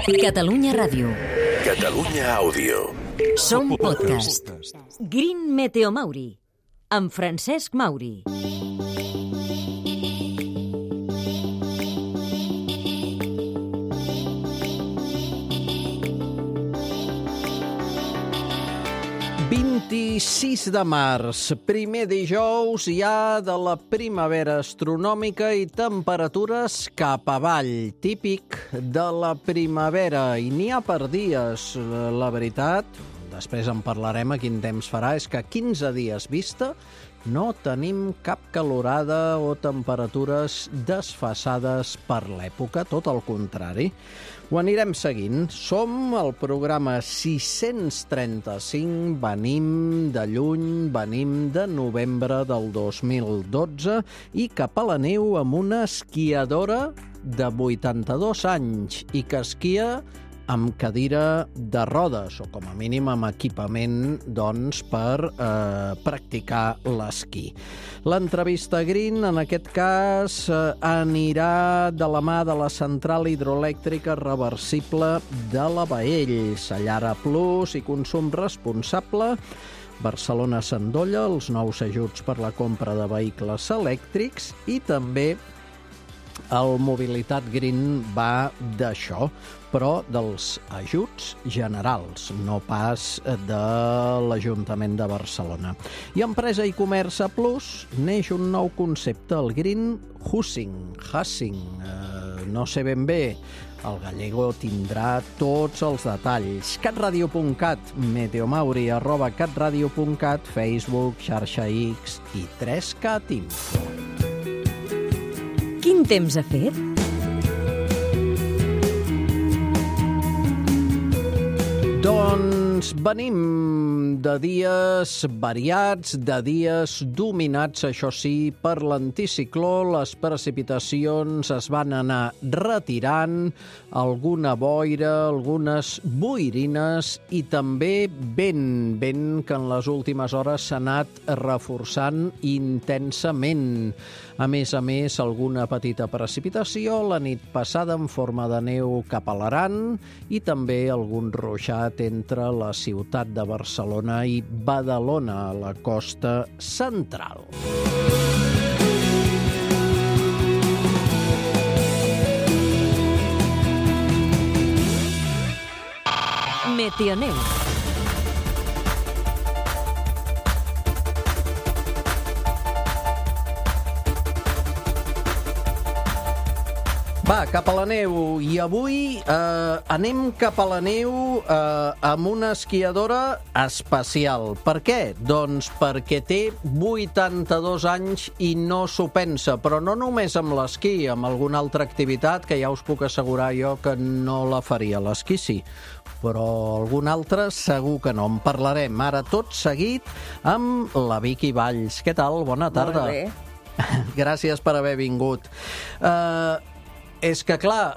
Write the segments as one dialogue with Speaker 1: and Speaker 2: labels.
Speaker 1: Catalunya Ràdio.
Speaker 2: Catalunya Àudio.
Speaker 1: Som podcast. Green Meteo Mauri, amb Francesc Mauri.
Speaker 3: De març, primer dijous ja de la primavera astronòmica i temperatures cap avall, típic de la primavera. I n'hi ha per dies, la veritat, després en parlarem a quin temps farà, és que 15 dies vista no tenim cap calorada o temperatures desfasades per l'època, tot el contrari. Ho anirem seguint. Som al programa 635, venim de lluny, venim de novembre del 2012 i cap a la neu amb una esquiadora de 82 anys i que esquia amb cadira de rodes, o com a mínim amb equipament, doncs, per practicar l'esquí. L'entrevista Green, en aquest cas, anirà de la mà de la central hidroelèctrica reversible de la Baells, Allara Plus i consum responsable. Barcelona s'endolla els nous ajuts per la compra de vehicles elèctrics i també el Mobilitat Green va d'això, però dels ajuts generals, no pas de l'Ajuntament de Barcelona. I Empresa i Comerç a Plus neix un nou concepte, el Green Hussing, no sé ben bé, el gallego tindrà tots els detalls. catradio.cat, meteomauri@catradio.cat, Facebook, xarxa X i 3Cat Info.
Speaker 1: Quin temps ha fet?
Speaker 3: Doncs venim de dies variats, de dies dominats, això sí, per l'anticicló. Les precipitacions es van anar retirant, alguna boira, algunes boirines i també vent que en les últimes hores s'ha anat reforçant intensament. A més, alguna petita precipitació la nit passada en forma de neu cap a l'Aran i també algun ruixat entre la ciutat de Barcelona i Badalona, a la costa central.
Speaker 1: Meteoneu.
Speaker 3: Va, cap a la neu. I avui anem cap a la neu amb una esquiadora especial. Per què? Doncs perquè té 82 anys i no s'ho pensa, però no només amb l'esquí, amb alguna altra activitat que ja us puc assegurar jo que no la faria. L'esquí sí, però algun altre segur que no. En parlarem ara tot seguit amb la Vicky Valls. Què tal? Bona tarda.
Speaker 4: Molt bé.
Speaker 3: Gràcies per haver vingut. És que, clar,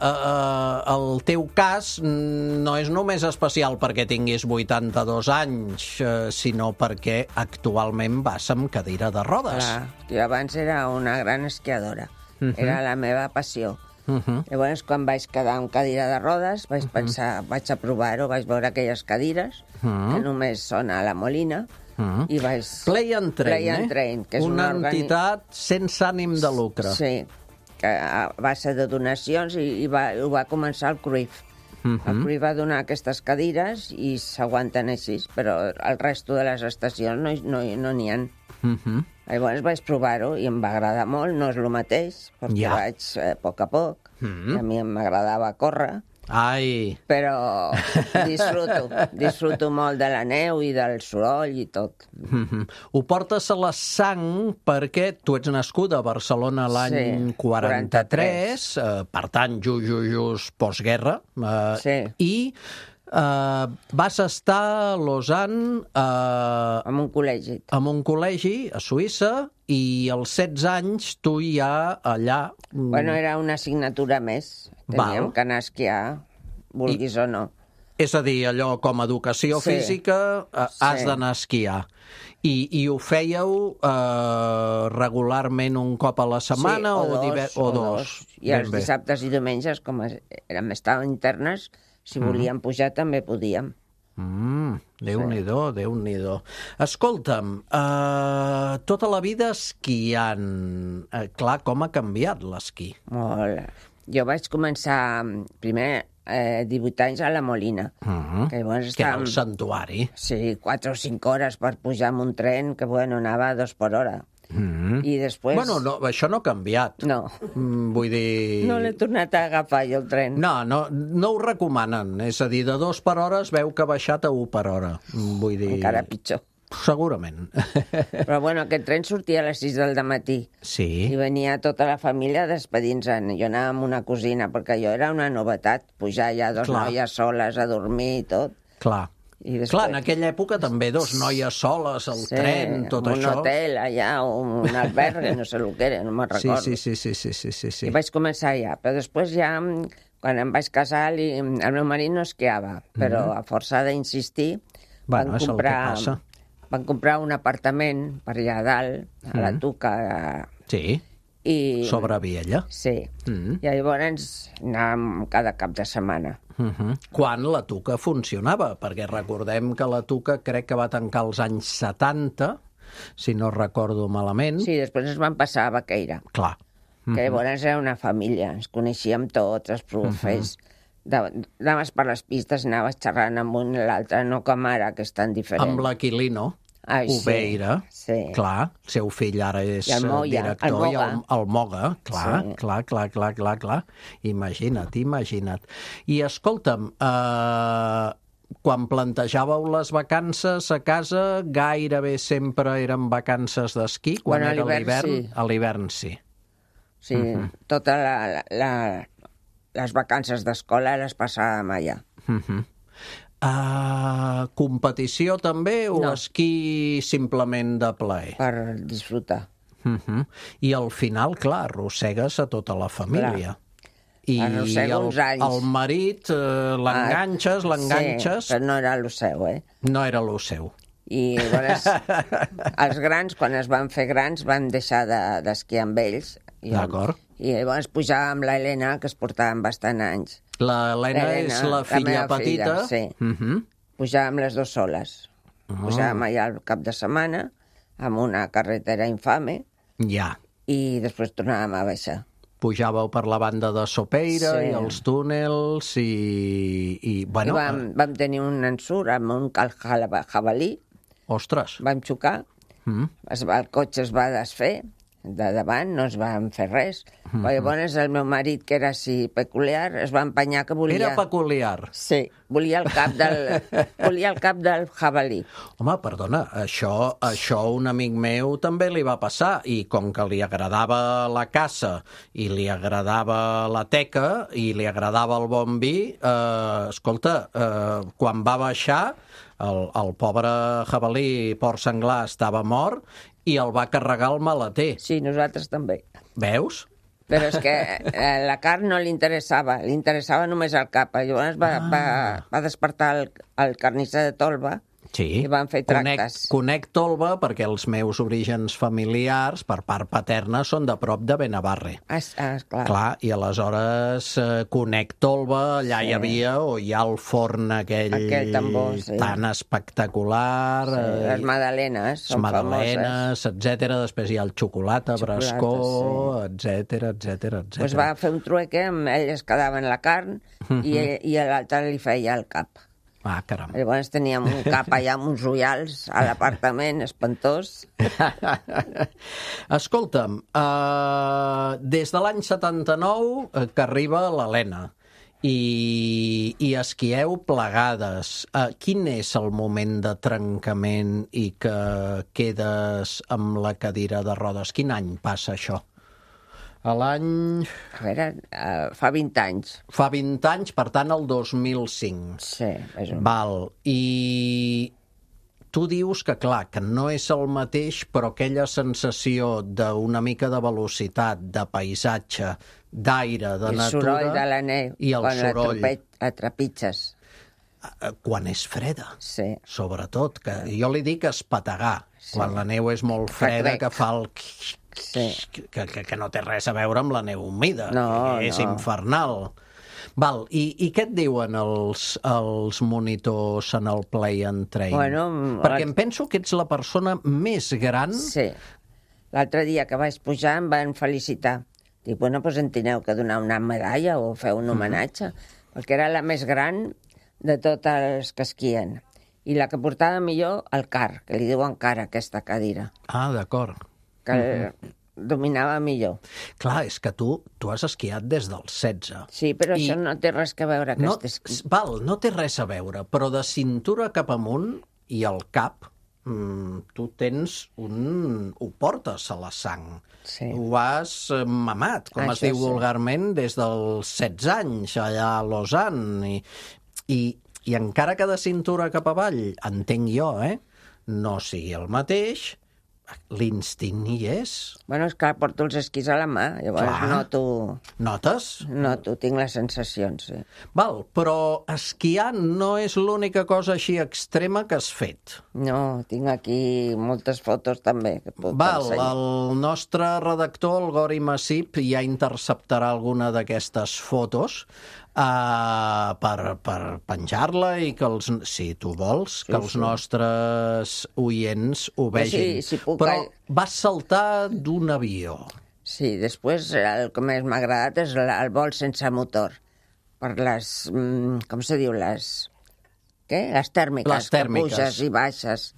Speaker 3: el teu cas no és només especial perquè tinguis 82 anys, sinó perquè actualment vas amb cadira de rodes.
Speaker 4: Clar, jo abans era una gran esquiadora. Era la meva passió. Llavors, quan vaig quedar amb cadira de rodes, vaig pensar, vaig a provar-ho, vaig veure aquelles cadires que només són a la Molina, i vaig...
Speaker 3: Play and Train,
Speaker 4: que és
Speaker 3: una entitat sense ànim de lucre.
Speaker 4: Sí, que a base de donacions i ho va començar el Cruyff. El Cruyff va donar aquestes cadires i s'aguanten així, però el resto de les estacions no n'hi ha. Llavors vaig provar-ho i em va agradar molt, no és el mateix, perquè vaig a poc a poc, a mi m'agradava córrer, però disfruto molt de la neu i del soroll i tot.
Speaker 3: Ho portes a la sang perquè tu ets nascuda a Barcelona l'any 43, per tant, just postguerra, i vas estar a Lausanne
Speaker 4: en un col·legi.
Speaker 3: En un col·legi a Suïssa, i als 16 anys tu ja allà...
Speaker 4: Bueno, era una assignatura més. Teníem que anar a esquiar, vulguis o no.
Speaker 3: És a dir, allò com a educació física has d'anar a esquiar. I ho fèieu regularment un cop a la setmana o dos?
Speaker 4: I els dissabtes i diumenges, com estàvem internes, Si volíem pujar també podíem.
Speaker 3: Déu-n'hi-do, Déu-n'hi-do. Escolta'm, tota la vida esquiant. Clar, com ha canviat l'esquí?
Speaker 4: Molt. Jo vaig començar primer 18 anys a la Molina. Que llavors
Speaker 3: Que era el santuari.
Speaker 4: Sí, 4 o 5 hores per pujar en un tren que, anava a 2 per hora. I després...
Speaker 3: Bueno, no, això no ha canviat.
Speaker 4: No.
Speaker 3: Vull dir...
Speaker 4: No l'he tornat a agafar, jo, el tren.
Speaker 3: No ho recomanen. És a dir, de 2 per hora es veu que ha baixat a 1 per hora. Vull dir...
Speaker 4: Encara pitjor.
Speaker 3: Segurament.
Speaker 4: Però, aquest tren sortia a les 6 del matí.
Speaker 3: Sí.
Speaker 4: I venia tota la família despedint-se'n. Jo anava amb una cosina, perquè jo era una novetat, pujar ja 2 noies soles a dormir i tot.
Speaker 3: Clar.
Speaker 4: I després...
Speaker 3: Clar, en aquella època també 2 noies soles, el tren, tot això.
Speaker 4: Un hotel allà, un albergue, no sé el que era, no me'n recordo.
Speaker 3: Sí.
Speaker 4: I vaig començar ja, però després ja, quan em vaig casar, el meu marit no esquiava, però a força d'insistir van comprar un apartament per allà a dalt, a la Tuca.
Speaker 3: Sí, sobre Viella.
Speaker 4: Sí, i llavors anàvem cada cap de setmana.
Speaker 3: Quan la Tuca funcionava, perquè recordem que la Tuca crec que va tancar als anys 70, si no recordo malament.
Speaker 4: Sí, després ens van passar a Baqueira.
Speaker 3: Clar.
Speaker 4: Que llavors era una família, ens coneixíem tots, els profes. Anaves per les pistes, anaves xerrant amb un i l'altre, no com ara, que és tan diferent.
Speaker 3: Amb l'Aquilino, Ubeira, clar, el seu fill ara és director, i el Moga, clar. Imagina't. I escolta'm, quan plantejàveu les vacances a casa, gairebé sempre eren vacances d'esquí? Quan era l'hivern? A l'hivern, sí.
Speaker 4: Sí, totes les vacances d'escola les passàvem allà.
Speaker 3: Competició també o esquí simplement de plaer?
Speaker 4: Per disfrutar.
Speaker 3: I al final, clar, arrossegues a tota la família. I el marit l'enganxes...
Speaker 4: Sí, però no era el seu,
Speaker 3: No era el seu.
Speaker 4: I llavors els grans, quan es van fer grans, van deixar d'esquiar amb ells.
Speaker 3: D'acord.
Speaker 4: I llavors pujàvem la Helena, que es portaven bastant anys.
Speaker 3: L'Helena és la filla petita?
Speaker 4: Sí. Pujàvem les 2 soles. Pujàvem allà al cap de setmana, amb una carretera infame, i després tornàvem a baixar.
Speaker 3: Pujàveu per la banda de Sopeira i els túnels i
Speaker 4: vam tenir un ensurt amb un cal jabalí.
Speaker 3: Ostres!
Speaker 4: Vam xocar, el cotxe es va desfer, de davant, no es van fer res. Però llavors el meu marit, que era així peculiar, es va empenyar que volia...
Speaker 3: Era peculiar?
Speaker 4: Sí, volia el cap del jabalí.
Speaker 3: Home, perdona, això un amic meu també li va passar, i com que li agradava la caça, i li agradava la teca, i li agradava el bon vi, escolta, quan va baixar, el pobre jabalí porc senglar estava mort, i el va carregar el maleter.
Speaker 4: Sí, nosaltres també.
Speaker 3: Veus?
Speaker 4: Però és que la carn no li interessava només el cap. Llavors va despertar el carnisser de Tolba i van fer tractes.
Speaker 3: Conec Tolba perquè els meus orígens familiars, per part paterna, són de prop de Benavarre. Clar, i aleshores conec Tolba, allà hi havia, o hi ha el forn aquell tambor, tan espectacular.
Speaker 4: Les magdalenes són famoses.
Speaker 3: Etcètera. Després hi ha el xocolata, brascó, etcètera.
Speaker 4: Doncs va fer un trueque, ell es quedava en la carn i l'altre li feia el cap.
Speaker 3: Caram.
Speaker 4: Llavors teníem un cap allà amb uns ullals a l'apartament, espantós.
Speaker 3: Escolta'm, des de l'any 79 que arriba l'Helena i esquieu plegades. Quin és el moment de trencament i que quedes amb la cadira de rodes? Quin any passa això? A l'any...
Speaker 4: A veure, fa 20 anys.
Speaker 3: Fa 20 anys, per tant, el 2005.
Speaker 4: Sí, és un...
Speaker 3: Val, i tu dius que, clar, que no és el mateix, però aquella sensació d'una mica de velocitat, de paisatge, d'aire, de natura...
Speaker 4: El soroll de la neu,
Speaker 3: i el soroll...
Speaker 4: la trepitges.
Speaker 3: Quan és freda, sobretot. Que jo li dic espetegar, quan la neu és molt freda, que fa el... que no té res a veure amb la neu humida, que és infernal. Val, i què et diuen els monitors en el Play and Train?
Speaker 4: Bueno,
Speaker 3: perquè em penso que ets la persona més gran...
Speaker 4: Sí. L'altre dia que vaig pujar em van felicitar. Dic, bueno, doncs en teniu que donar una medalla o fer un homenatge, perquè era la més gran de totes les que esquien. I la que portava millor, el car, que li diuen car, aquesta cadira.
Speaker 3: Ah, d'acord.
Speaker 4: Que dominava millor.
Speaker 3: Clar, és que tu has esquiat des dels 16.
Speaker 4: Sí, però això no té res a veure.
Speaker 3: No té res a veure, però de cintura cap amunt i al cap, tu tens ho portes a la sang.
Speaker 4: Sí.
Speaker 3: Ho has mamat, com es diu vulgarment, des dels 16 anys, allà a Lausanne. I encara que de cintura cap avall, entenc jo, no sigui el mateix, l'instint hi és.
Speaker 4: Bueno, és que porto els esquís a la mà, llavors noto...
Speaker 3: Notes?
Speaker 4: Noto, tinc les sensacions, sí.
Speaker 3: Val, però esquiar no és l'única cosa així extrema que has fet.
Speaker 4: No, tinc aquí moltes fotos també que puc ensenyar.
Speaker 3: El nostre redactor, el Gori Massip, ja interceptarà alguna d'aquestes fotos per penjar-la i que si tu vols, que els nostres oients ho vegin.
Speaker 4: Sí, puc...
Speaker 3: Però vas saltar d'un avió.
Speaker 4: Sí, després el que més m'ha agradat és el vol sense motor. Per les... com se diu? Les tèrmiques.
Speaker 3: Les tèrmiques.
Speaker 4: Que puges i baixes.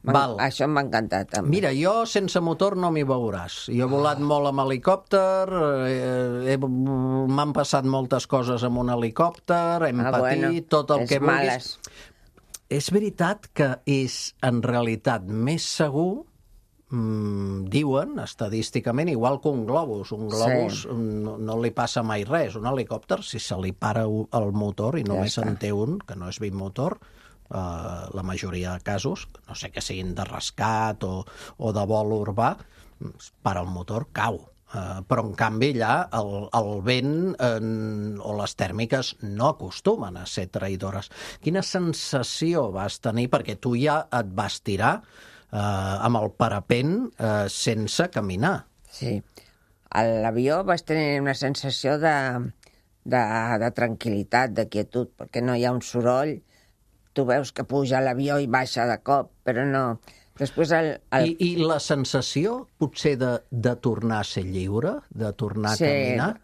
Speaker 4: Això m'ha encantat, també.
Speaker 3: Mira, jo sense motor no m'hi veuràs. Jo he volat molt amb helicòpter, m'han passat moltes coses amb un helicòpter, hem patit tot el que vulguis. És veritat que és, en realitat, més segur, diuen, estadísticament, igual que un globus. Un globus no li passa mai res. Un helicòpter, si se li para el motor i només en té un, que no és bimotor, la majoria de casos, no sé que siguin de rescat o de vol urbà, per al motor cau. Però, en canvi, allà el vent o les tèrmiques no acostumen a ser traïdores. Quina sensació vas tenir? Perquè tu ja et vas tirar amb el parapent sense caminar.
Speaker 4: Sí. A l'avió vas tenir una sensació de tranquil·litat, de quietud, perquè no hi ha un soroll. Tu veus que puja l'avió i baixa de cop, però no... Després
Speaker 3: I la sensació, potser, de tornar a ser lliure, de tornar a caminar?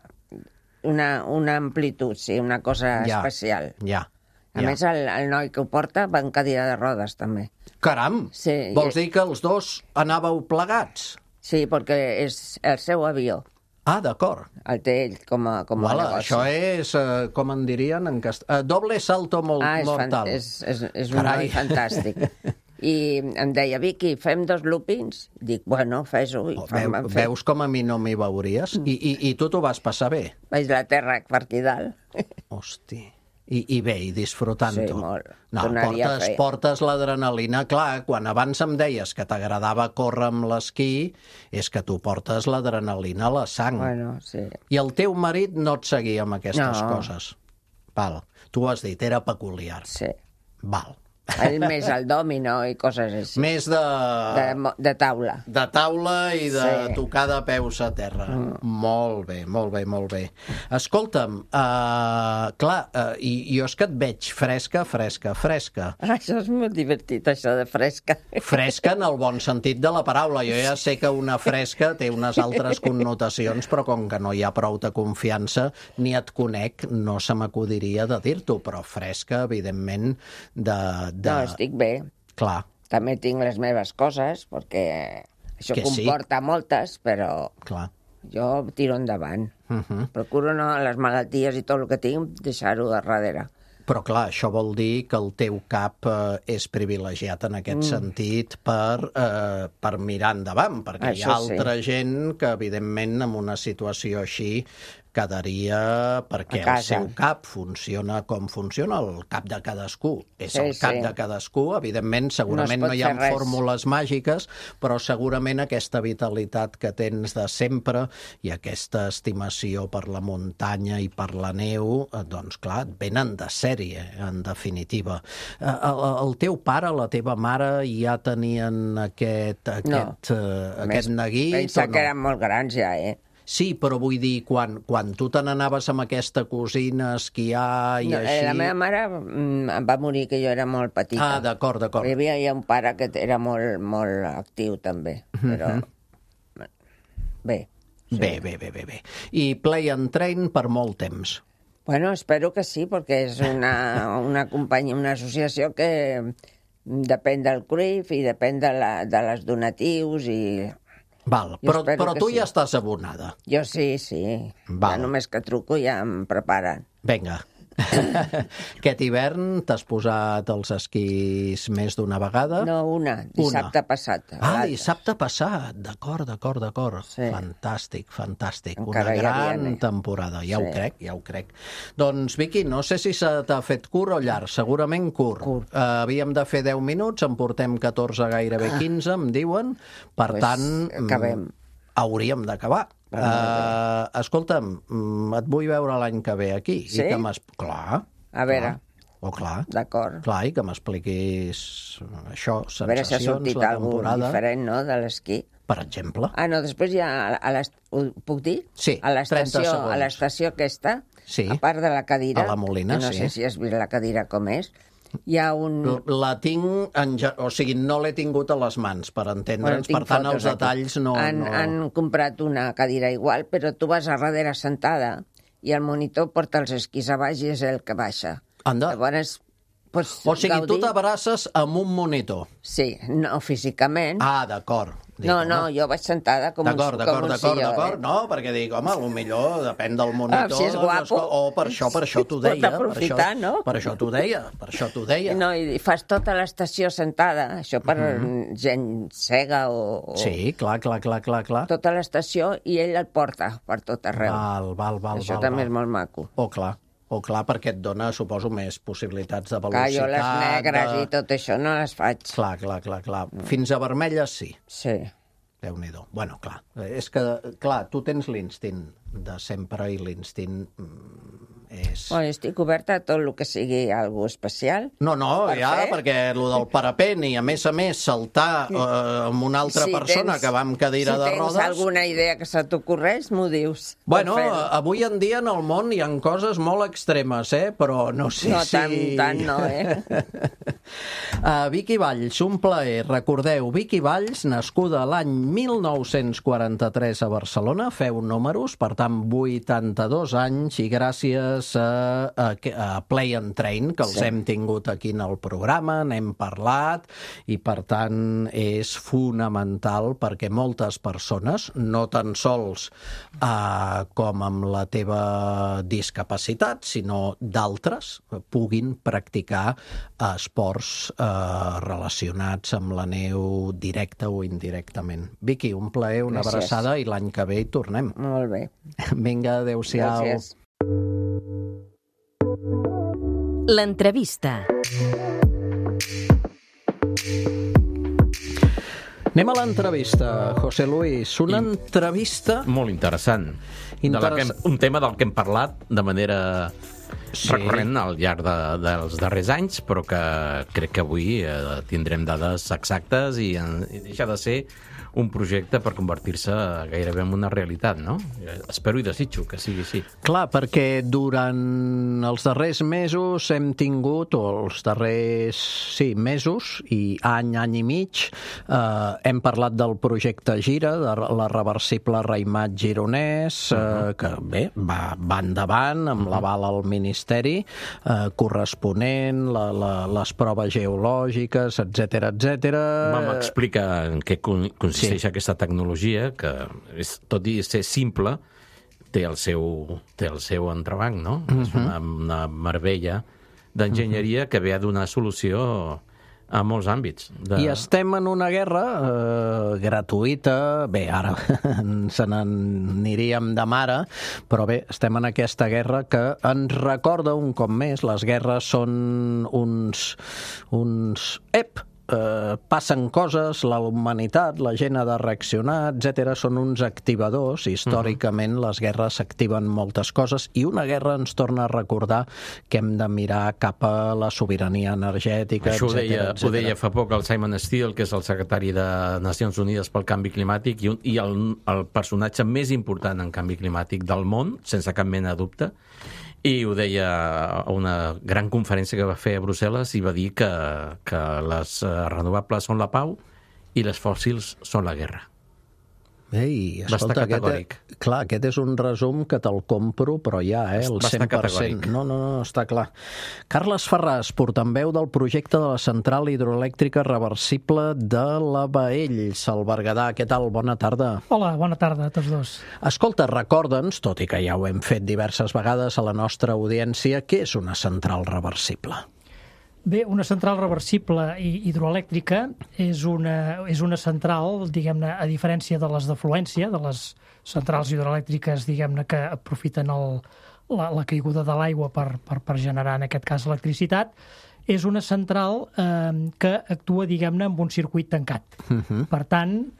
Speaker 4: Una amplitud, sí, una cosa especial. A més, el noi que ho porta va en cadira de rodes, també.
Speaker 3: Caram! Sí, vols dir que els dos anàveu plegats?
Speaker 4: Sí, perquè és el seu avió.
Speaker 3: Ah, d'acord.
Speaker 4: El té ell com a negoci.
Speaker 3: Això és, com en dirien en castellà, doble salto mortal.
Speaker 4: És un noi fantàstic. I em deia, Vicky, fem 2 loopings? Dic, bueno, fes-ho.
Speaker 3: Veus com a mi no m'hi veuries? I tu t'ho vas passar bé?
Speaker 4: Vaig la terra per aquí dalt.
Speaker 3: Hosti. I bé, i disfrutant-ho.
Speaker 4: Sí, molt.
Speaker 3: No, portes l'adrenalina. Clar, quan abans em deies que t'agradava córrer amb l'esquí, és que tu portes l'adrenalina a la sang.
Speaker 4: Bueno, sí.
Speaker 3: I el teu marit no et seguia amb aquestes coses? Val. Tu has dit, era peculiar.
Speaker 4: Sí.
Speaker 3: Val.
Speaker 4: Ell més el dòmino i coses així.
Speaker 3: Més de
Speaker 4: taula.
Speaker 3: De taula i de tocar de peus a terra. Molt bé, molt bé, molt bé. Escolta'm, clar, jo és que et veig fresca.
Speaker 4: Això és molt divertit, això de fresca.
Speaker 3: Fresca en el bon sentit de la paraula. Jo ja sé que una fresca té unes altres connotacions, però com que no hi ha prou de confiança, ni et conec, no se m'acudiria de dir-t'ho, però fresca, evidentment,
Speaker 4: No, estic bé.
Speaker 3: Clar.
Speaker 4: També tinc les meves coses, perquè això comporta moltes, però jo tiro endavant. Procuro les malalties i tot el que tinc, deixar-ho de darrere.
Speaker 3: Però, clar, això vol dir que el teu cap és privilegiat en aquest sentit per mirar endavant, perquè hi ha altra gent que, evidentment, en una situació així quedaria perquè el seu cap funciona com funciona, el cap de cadascú. És el cap de cadascú, evidentment, segurament no hi ha fórmules màgiques, però segurament aquesta vitalitat que tens de sempre i aquesta estimació per la muntanya i per la neu, doncs clar, et venen de sèrie, en definitiva. El teu pare, la teva mare ja tenien aquest neguit?
Speaker 4: Pensa que eren molt grans ja,
Speaker 3: Sí, però vull dir, quan tu te n'anaves amb aquesta cosina a esquiar i així...
Speaker 4: La meva mare va morir que jo era molt petita.
Speaker 3: Ah, d'acord.
Speaker 4: Hi havia un pare que era molt, molt actiu, també, però... Bé. Sí.
Speaker 3: Bé. I Play and Train per molt temps.
Speaker 4: Bueno, espero que sí, perquè és una companyia, una associació que depèn del CRIF i depèn de les donatius i...
Speaker 3: Val, però tu ja estàs abonada.
Speaker 4: Jo sí.
Speaker 3: Val.
Speaker 4: Ja només que truco ja em preparen.
Speaker 3: Vinga. Aquest hivern t'has posat els esquís més d'una vegada?
Speaker 4: No, dissabte passat.
Speaker 3: Dissabte passat, d'acord. Sí. Fantàstic.
Speaker 4: Encara
Speaker 3: una gran temporada, ja ho crec. Doncs, Vicky, no sé si se t'ha fet curt o llarg, segurament curt. Havíem de fer 10 minuts, en portem 14, gairebé 15, em diuen, per tant...
Speaker 4: Acabem.
Speaker 3: Hauríem d'acabar. Escolta'm, et vull veure l'any que ve aquí.
Speaker 4: Sí?
Speaker 3: I que clar.
Speaker 4: A veure.
Speaker 3: Clar.
Speaker 4: D'acord.
Speaker 3: Clar, i que m'expliquis això, sensacions,
Speaker 4: a veure si ha sortit alguna cosa diferent, no?, de l'esquí.
Speaker 3: Per exemple.
Speaker 4: No, després hi ha... Ho puc dir?
Speaker 3: Sí, 30 segons.
Speaker 4: A l'estació aquesta,
Speaker 3: sí,
Speaker 4: a part de la cadira...
Speaker 3: A la Molina,
Speaker 4: no sé si has vist la cadira com és. Hi ha un...
Speaker 3: La tinc... O sigui, no l'he tingut a les mans, per entendre'ns. Per tant, els detalls no...
Speaker 4: Han comprat una cadira igual, però tu vas a darrere sentada i el monitor porta els esquís a baix i és el que baixa.
Speaker 3: Anda.
Speaker 4: Llavors,
Speaker 3: o sigui, tu t'abraces amb un monitor.
Speaker 4: Sí, no físicament.
Speaker 3: D'acord.
Speaker 4: No, jo vaig sentada com un silló.
Speaker 3: D'acord. No, perquè dic, home, potser depèn del monitor.
Speaker 4: Si és guapo.
Speaker 3: Per això t'ho deia.
Speaker 4: Pot aprofitar, no?
Speaker 3: Per això t'ho deia.
Speaker 4: No, i fas tota l'estació sentada, això per gent cega o...
Speaker 3: Sí, clar.
Speaker 4: Tota l'estació i ell el porta per tot arreu.
Speaker 3: Val.
Speaker 4: Això també és molt maco.
Speaker 3: Clar, perquè et dona, suposo, més possibilitats de velocitat.
Speaker 4: Jo les negres i tot això no les faig.
Speaker 3: Clar. Fins a vermelles sí.
Speaker 4: Sí.
Speaker 3: Déu-n'hi-do. Bueno, clar. És que, clar, tu tens l'instint de sempre i l'instint és...
Speaker 4: Bueno, estic oberta a tot el que sigui algo especial.
Speaker 3: No, perquè el del parapent i, a més, saltar amb una altra persona que va amb cadira de rodes...
Speaker 4: Si tens alguna idea que se t'ocorreix, m'ho dius.
Speaker 3: Bueno, avui en dia en el món hi ha coses molt extremes, però no sé si...
Speaker 4: No, tant no,
Speaker 3: Vicky Valls, un plaer. Recordeu, Vicky Valls, nascuda l'any 1943 a Barcelona, feu números, per tant, 82 anys, i gràcies a Play and Train, que els hem tingut aquí en el programa, n'hem parlat, i per tant és fonamental perquè moltes persones, no tan sols com amb la teva discapacitat, sinó d'altres, puguin practicar esports relacionats amb la neu directa o indirectament. Vicky, un plaer, una abraçada, i l'any que ve hi tornem.
Speaker 4: Molt bé.
Speaker 3: Vinga, adéu-siau.
Speaker 4: Gràcies.
Speaker 1: L'entrevista.
Speaker 3: Anem a l'entrevista, José Luis. Una entrevista...
Speaker 5: Molt interessant. Un tema del que hem parlat de manera recurrent al llarg dels darrers anys, però que crec que avui tindrem dades exactes i deixa de ser un projecte per convertir-se gairebé en una realitat, no? Espero i desitjo que sigui així.
Speaker 3: Clar, perquè durant els darrers mesos hem tingut, o els darrers mesos i any i mig, hem parlat del projecte Gira, de la reversible Raimat gironès, que bé, va endavant amb l'aval al Ministeri corresponent, les proves geològiques, etcètera.
Speaker 5: Vam explicar en què consisteix aquesta tecnologia, que tot i ser simple, té el seu entrebanc, no? És una meravella d'enginyeria que ve a donar solució a molts àmbits.
Speaker 3: I estem en una guerra gratuïta, bé, ara se n'aniríem de mare, però bé, estem en aquesta guerra que ens recorda un cop més, les guerres són uns passen coses, la humanitat, la gent ha de reaccionar, etc. Són uns activadors. Històricament les guerres activen moltes coses i una guerra ens torna a recordar que hem de mirar cap a la sobirania energètica,
Speaker 5: Això
Speaker 3: etc.
Speaker 5: ho deia fa poc el Simon Steele, que és el secretari de Nacions Unides pel Canvi Climàtic i el personatge més important en canvi climàtic del món, sense cap mena de dubte, i ho deia a una gran conferència que va fer a Brussel·les i va dir que les renovables són la pau i les fòssils són la guerra.
Speaker 3: Ei, escolta, aquest és un resum que te'l compro, però ja, el 100%. No, està clar. Carles Ferràs, portaveu del projecte de la central hidroelèctrica reversible de la Baells, al Berguedà. Què tal? Bona tarda.
Speaker 6: Hola, bona tarda a tots dos.
Speaker 3: Escolta, recorda'ns, tot i que ja ho hem fet diverses vegades a la nostra audiència, què és una central reversible?
Speaker 6: Bé, una central reversible hidroelèctrica és una central, diguem-ne, a diferència de les d'afluència, de les centrals hidroelèctriques, diguem-ne, que aprofiten la caiguda de l'aigua per generar, en aquest cas, electricitat, és una central que actua, diguem-ne, amb un circuit tancat. Per tant,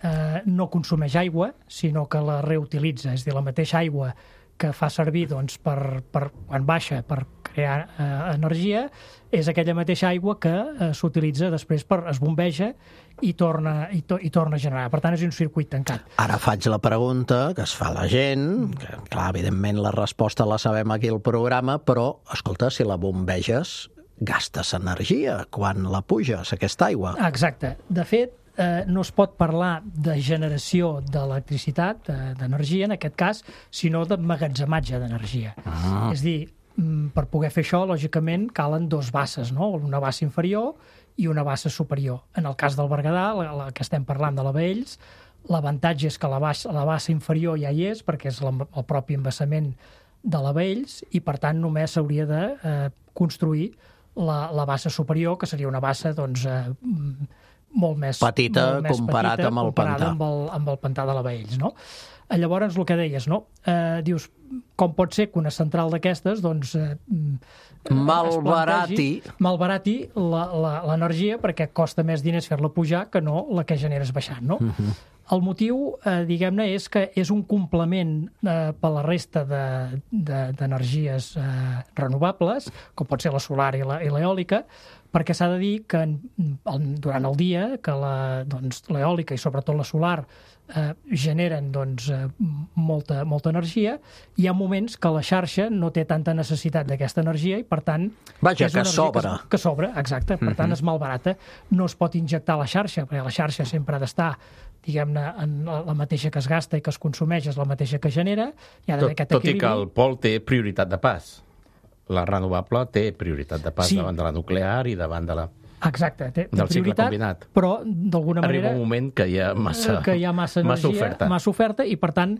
Speaker 6: no consumeix aigua, sinó que la reutilitza. És a dir, la mateixa aigua que fa servir quan baixa per crear energia, és aquella mateixa aigua que s'utilitza després es bombeja i torna a generar. Per tant, és un circuit tancat.
Speaker 3: Ara faig la pregunta que es fa la gent, que, clar, evidentment la resposta la sabem aquí al programa, però, escolta, si la bombeges, gastes energia quan la puges, aquesta aigua.
Speaker 6: Exacte. De fet, no es pot parlar de generació d'electricitat, d'energia, en aquest cas, sinó d'emmagatzematge d'energia. És a dir, per poder fer això, lògicament, calen dues basses, no? Una bassa inferior i una bassa superior. En el cas del Berguedà, la que estem parlant de la Baells, l'avantatge és que la bassa inferior ja hi és, perquè és el propi embassament de la Baells, i per tant només s'hauria de construir la bassa superior, que seria una bassa, doncs, molt més
Speaker 3: petita comparat amb el pantà.
Speaker 6: Amb el pantà de la Baells, no? Llavors, el que deies, no? Dius, com pot ser que una central d'aquestes, doncs, malbarati l'energia, perquè costa més diners fer-la pujar que no la que generes baixant, no? El motiu, diguem-ne, és que és un complement per la resta d'energies renovables, com pot ser la solar i l'eòlica, perquè s'ha de dir que durant el dia que l'eòlica i sobretot la solar generen molta energia, hi ha moments que la xarxa no té tanta necessitat d'aquesta energia i, per tant...
Speaker 3: Vaja, que sobra.
Speaker 6: Que sobra, exacte. Per tant, és malbarata. No es pot injectar a la xarxa, perquè la xarxa sempre ha d'estar, diguem-ne, la mateixa que es gasta i que es consumeix és la mateixa que genera. Hi ha d'haver aquest equilibri.
Speaker 5: Tot i que el pol té prioritat de pas. La renovable té prioritat de pas davant de la nuclear i davant de la...
Speaker 6: Exacte, té
Speaker 5: del cicle
Speaker 6: prioritat,
Speaker 5: combinat.
Speaker 6: però d'alguna manera...
Speaker 5: Arriba un moment que hi ha massa energia,
Speaker 6: massa oferta, i per tant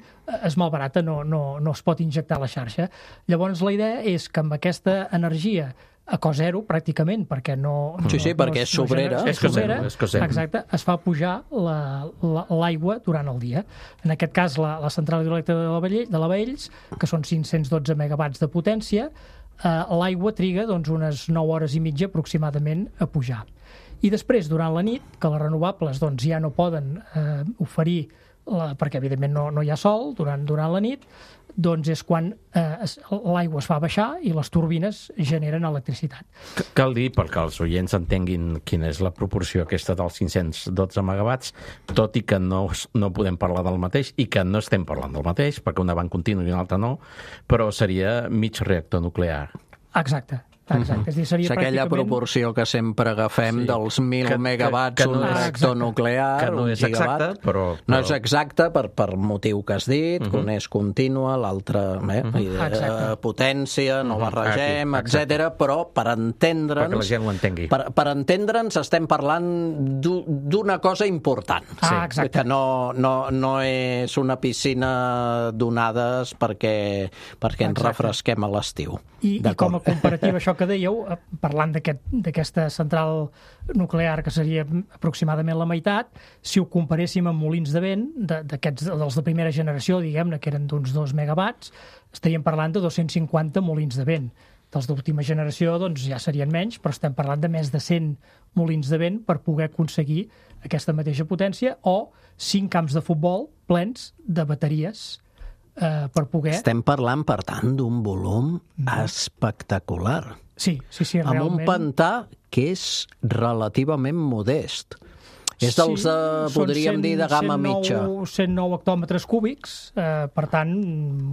Speaker 6: és malbarata, no es pot injectar a la xarxa. Llavors la idea és que amb aquesta energia a cost zero, pràcticament, perquè no...
Speaker 3: Sí, perquè és sobrera.
Speaker 5: És que zero.
Speaker 6: Exacte, es fa pujar l'aigua durant el dia. En aquest cas, la central hidroelèctrica de la Baells, que són 512 megawatts de potència, l'aigua triga unes 9 hores i mitja aproximadament a pujar. I després, durant la nit, que les renovables ja no poden oferir, perquè evidentment no hi ha sol durant la nit, doncs és quan l'aigua es fa baixar i les turbines generen electricitat.
Speaker 5: Cal dir, perquè els oients entenguin quina és la proporció aquesta dels 512 megawatts, tot i que no podem parlar del mateix i que no estem parlant del mateix, perquè una va en continu i una altra no, però seria mig reactor nuclear.
Speaker 6: Exacte. És dir, seria
Speaker 3: aquella proporció que sempre agafem dels 1.000 megawatts un reactor nuclear,
Speaker 5: que no és exacta, però...
Speaker 3: No és exacta per motiu que has dit, que un és contínua, l'altre potència, no barregem, etc. Però per entendre'ns...
Speaker 5: Perquè la gent ho entengui.
Speaker 3: Per entendre'ns estem parlant d'una cosa important. Que no és una piscina d'onades perquè ens refresquem a l'estiu.
Speaker 6: I com a comparativa, això que dèieu, parlant d'aquesta central nuclear, que seria aproximadament la meitat, si ho comparéssim amb molins de vent, dels de primera generació, diguem-ne, que eren d'uns 2 megawatts, estaríem parlant de 250 molins de vent. dels d'última generació doncs ja serien menys, però estem parlant de més de 100 molins de vent per poder aconseguir aquesta mateixa potència, o 5 camps de futbol plens de bateries per poder...
Speaker 3: Estem parlant, per tant, d'un volum espectacular.
Speaker 6: Sí, realment.
Speaker 3: Amb un pantà que és relativament modest. És dels, podríem dir, de gamma mitja.
Speaker 6: 109 hectòmetres cúbics, per tant,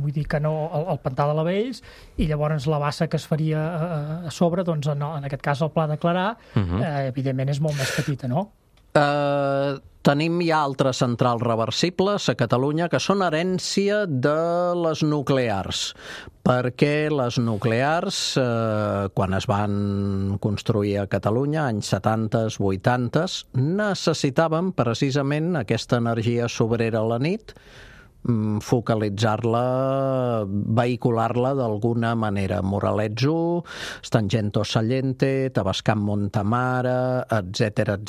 Speaker 6: vull dir que no el pantà de l'Avells, i llavors la bassa que es faria a sobre, doncs en aquest cas el Pla de Clarà, evidentment és molt més petita, no?
Speaker 3: Tenim ja altres centrals reversibles a Catalunya que són herència de les nuclears, perquè les nuclears, quan es van construir a Catalunya, anys 70s, 80s, necessitaven precisament aquesta energia sobrera a la nit, focalitzar-la, vehicular-la d'alguna manera. Moraletzo, Stangento Sallente, Tavascan Montamara, etc.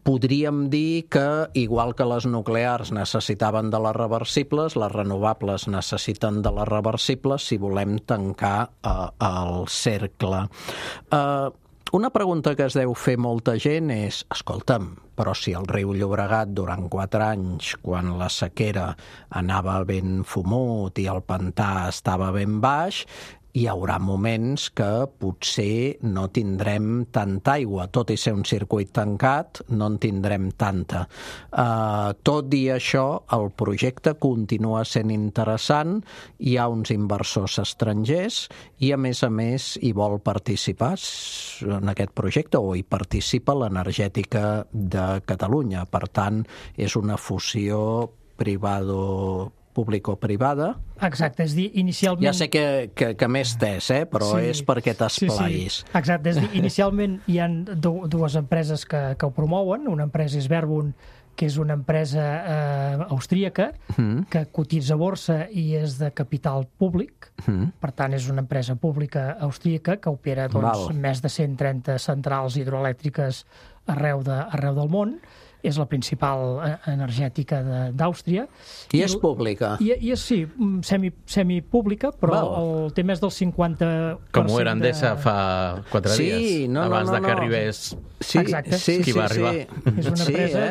Speaker 3: Podríem dir que, igual que les nuclears necessitaven de les reversibles, les renovables necessiten de les reversibles si volem tancar el cercle. Una pregunta que es deu fer molta gent és, escolta'm, però si el riu Llobregat durant 4 anys, quan la sequera anava ben fumut i el pantà estava ben baix, hi haurà moments que potser no tindrem tanta aigua. Tot i ser un circuit tancat, no en tindrem tanta. Tot i això, el projecte continua sent interessant, hi ha uns inversors estrangers i, a més, hi vol participar en aquest projecte, o hi participa l'Energètica de Catalunya. Per tant, és una fusió público-privada.
Speaker 6: Exacte, és dir, inicialment...
Speaker 3: Ja sé que m'he estès, però sí, és perquè t'esplaïs.
Speaker 6: Sí. Exacte, és dir, inicialment hi ha dues empreses que ho promouen. Una empresa és Verbund, que és una empresa austríaca, que cotitza a borsa i és de capital públic. Per tant, és una empresa pública austríaca que opera més de 130 centrals hidroelèctriques arreu del món. És la principal energètica d'Àustria.
Speaker 3: I és pública?
Speaker 6: I és, sí, semipública, però el tema és del 50%...
Speaker 5: Com ho era Endesa fa 4 dies, abans que arribés qui va arribar.
Speaker 6: És una empresa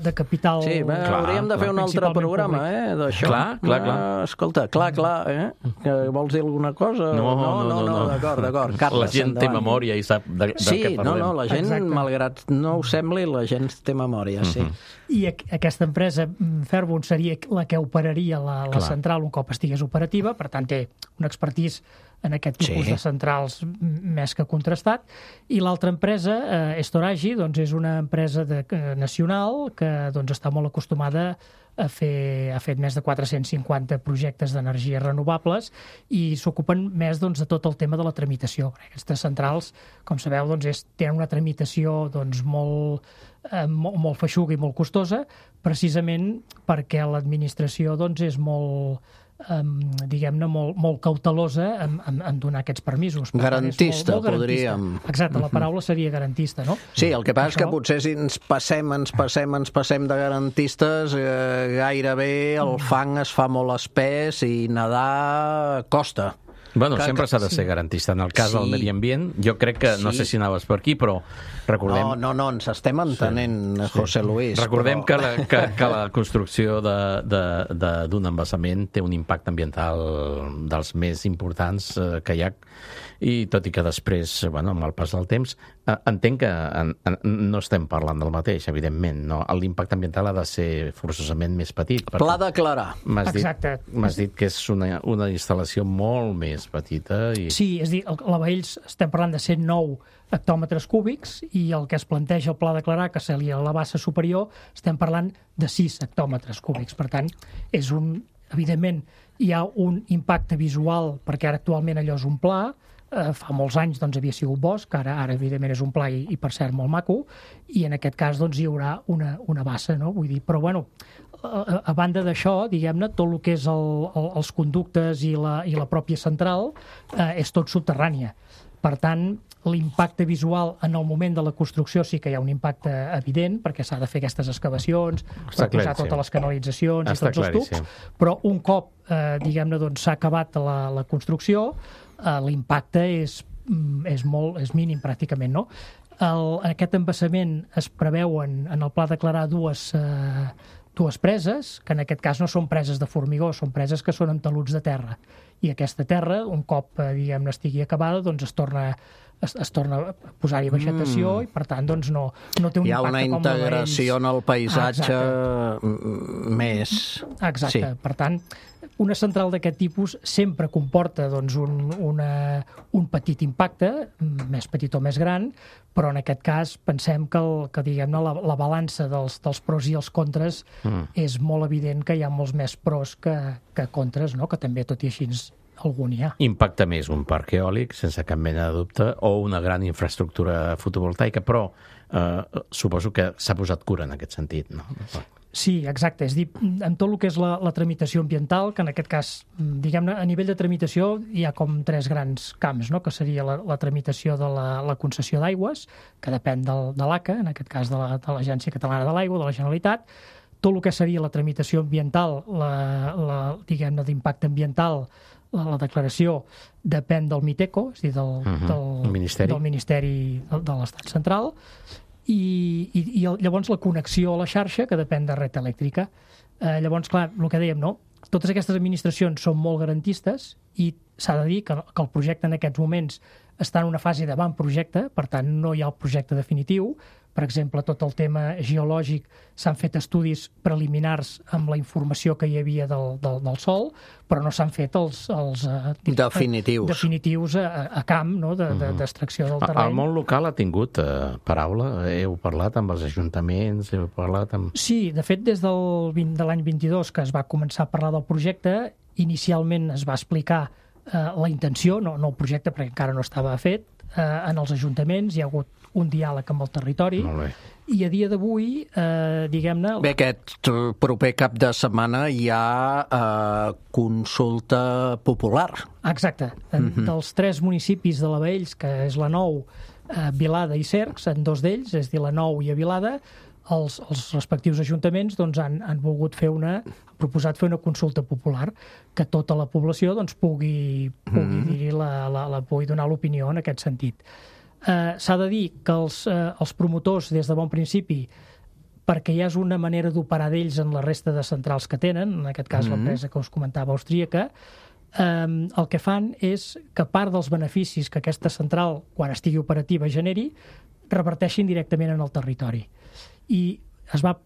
Speaker 6: de capital...
Speaker 3: Sí, hauríem de fer un altre programa, d'això.
Speaker 5: Clar.
Speaker 3: Escolta, clar, que vols dir alguna cosa?
Speaker 5: No.
Speaker 3: D'acord.
Speaker 5: La gent té memòria i sap de què parlem.
Speaker 3: La gent, malgrat no ho sembli, la gent té memòria. Sí.
Speaker 6: I aquesta empresa, Verbund, seria la que operaria la central un cop estigués operativa, per tant té un expertís en aquest tipus de centrals més que contrastat. I l'altra empresa, Estoragi, doncs és una empresa nacional que està molt acostumada ha fet més de 450 projectes d'energies renovables i s'ocupen més de tot el tema de la tramitació. Aquestes centrals, com sabeu, tenen una tramitació molt feixuga i molt costosa, precisament perquè l'administració és molt molt cautelosa en donar aquests permisos.
Speaker 3: Garantista, podríem.
Speaker 6: Exacte, la paraula seria garantista, no?
Speaker 3: Sí, el que passa és que potser si ens passem de garantistes, gairebé el fang es fa molt espès i nedar costa.
Speaker 5: Bueno, sempre s'ha de ser garantista. En el cas del medi ambient, jo crec que, no sé si anaves per aquí, però recordem...
Speaker 3: No, ens estem entenent, José Luis.
Speaker 5: Recordem que la construcció d'un embassament té un impacte ambiental dels més importants que hi ha, i tot i que després, amb el pas del temps, entenc que no estem parlant del mateix, evidentment. No? L'impacte ambiental ha de ser forçosament més petit.
Speaker 3: Pla de Clarà.
Speaker 6: M'has
Speaker 5: dit que és una instal·lació molt més petita.
Speaker 6: Sí, és a dir, a l'Avells estem parlant de 109 hectòmetres cúbics i el que es planteja el Pla de Clarà, que seria la bassa superior, estem parlant de 6 hectòmetres cúbics. Per tant, evidentment, hi ha un impacte visual, perquè ara actualment allò és un pla. Fa molts anys havia sigut bosc, ara evidentment és un pla i per cert molt maco, i en aquest cas hi haurà una bassa, no? Vull dir, però a banda d'això, diguem-ne, tot el que és els conductes i la pròpia central és tot subterrània. Per tant, l'impacte visual en el moment de la construcció sí que hi ha un impacte evident, perquè s'ha de fer aquestes excavacions, per posar totes les canalitzacions i tots els tubs, però un cop, diguem-ne, doncs, s'ha acabat la construcció, l'impacte és mínim pràcticament, no? En aquest embassament es preveuen en el pla declarar dues preses, que en aquest cas no són preses de formigó, són preses que són amb taluts de terra. I aquesta terra, un cop, diguem-ne, estigui acabada, doncs es torna a posar-hi vegetació i, per tant, doncs no té un impacte com
Speaker 3: hi ha una integració en el paisatge més...
Speaker 6: Exacte. Per tant, una central d'aquest tipus sempre comporta doncs, un petit impacte, més petit o més gran, però en aquest cas pensem que diguem-ne, la balança dels pros i els contres és molt evident que hi ha molts més pros que contres, no? Que també, tot i així, algun hi ha.
Speaker 5: Impacta més un parc eòlic, sense cap mena de dubte, o una gran infraestructura fotovoltaica, però suposo que s'ha posat cura en aquest sentit, no?
Speaker 6: Sí, exacte. És dir, en tot el que és la tramitació ambiental, que en aquest cas, diguem-ne, a nivell de tramitació hi ha com 3 grans camps, no? Que seria la tramitació de la concessió d'aigües, que depèn de l'ACA, en aquest cas de l'Agència Catalana de l'Aigua, de la Generalitat. Tot el que seria la tramitació ambiental, diguem-ne, d'impacte ambiental, la declaració depèn del MITECO, és a dir, del Ministeri de l'Estat Central, i llavors la connexió a la xarxa, que depèn de Red Elèctrica. Llavors, clar, el que dèiem, no? Totes aquestes administracions són molt garantistes i s'ha de dir que el projecte en aquests moments està en una fase d'avantprojecte, per tant, no hi ha el projecte definitiu. Per exemple, tot el tema geològic, s'han fet estudis preliminars amb la informació que hi havia del sòl, però no s'han fet els definitius a camp, no? D'extracció del terreny.
Speaker 5: El món local ha tingut paraula? Heu parlat amb els ajuntaments? Heu parlat amb...
Speaker 6: Sí, de fet, des de l'any 22 que es va començar a parlar del projecte, inicialment es va explicar la intenció, no el projecte, perquè encara no estava fet, en els ajuntaments, hi ha hagut un diàleg amb el territori, i a dia d'avui, diguem-ne...
Speaker 3: Bé, aquest proper cap de setmana hi ha consulta popular.
Speaker 6: Exacte. Dels 3 municipis de la Baells, que és la Nou, Vilada i Cercs, en 2 d'ells, és a dir, la Nou i a Vilada, els respectius ajuntaments doncs, han proposat fer una consulta popular, que tota la població doncs, pugui donar l'opinió en aquest sentit. S'ha de dir que els promotors, des de bon principi, perquè ja és una manera d'operar d'ells en la resta de centrals que tenen, en aquest cas l'empresa que us comentava austríaca, el que fan és que part dels beneficis que aquesta central, quan estigui operativa, generi, reverteixin directament en el territori. I es va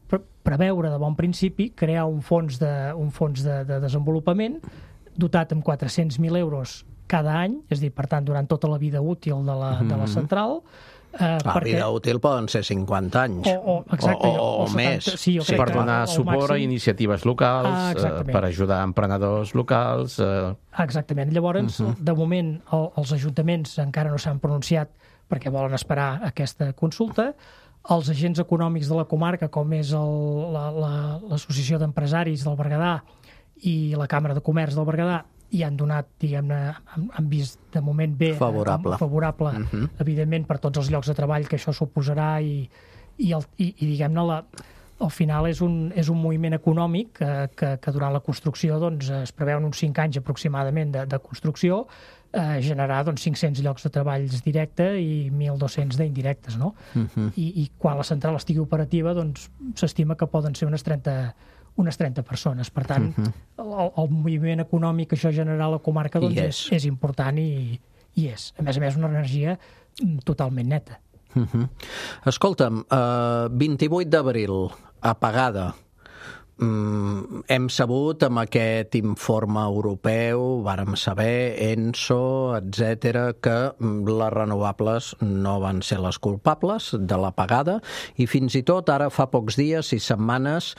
Speaker 6: preveure de bon principi crear un fons de desenvolupament dotat amb 400.000 euros cada any, és a dir, per tant, durant tota la vida útil de la central.
Speaker 3: La vida útil poden ser 50 anys o més.
Speaker 6: Sí,
Speaker 5: per donar suport a iniciatives locals, per ajudar emprenedors locals.
Speaker 6: Exactament. Llavors, de moment, els ajuntaments encara no s'han pronunciat perquè volen esperar aquesta consulta. Els agents econòmics de la comarca, com és l'Associació d'Empresaris del Berguedà i la Càmera de Comerç del Berguedà, hi han donat, diguem-ne, han vist de moment bé, favorable, evidentment, per tots els llocs de treball que això suposarà i diguem-ne, al final és un moviment econòmic que durant la construcció doncs, es preveuen uns 5 anys aproximadament de construcció, generar doncs, 500 llocs de treballs directes i 1.200 d'indirectes, no? I quan la central estigui operativa, doncs s'estima que poden ser unes 30 persones. Per tant, el moviment econòmic que això generarà a la comarca doncs, és important i és. A més, una energia totalment neta.
Speaker 3: Escolta'm, 28 d'abril, apagada. Hem sabut amb aquest informe europeu, vàrem saber, ENSO, etc., que les renovables no van ser les culpables de l'apagada i fins i tot ara fa pocs dies i setmanes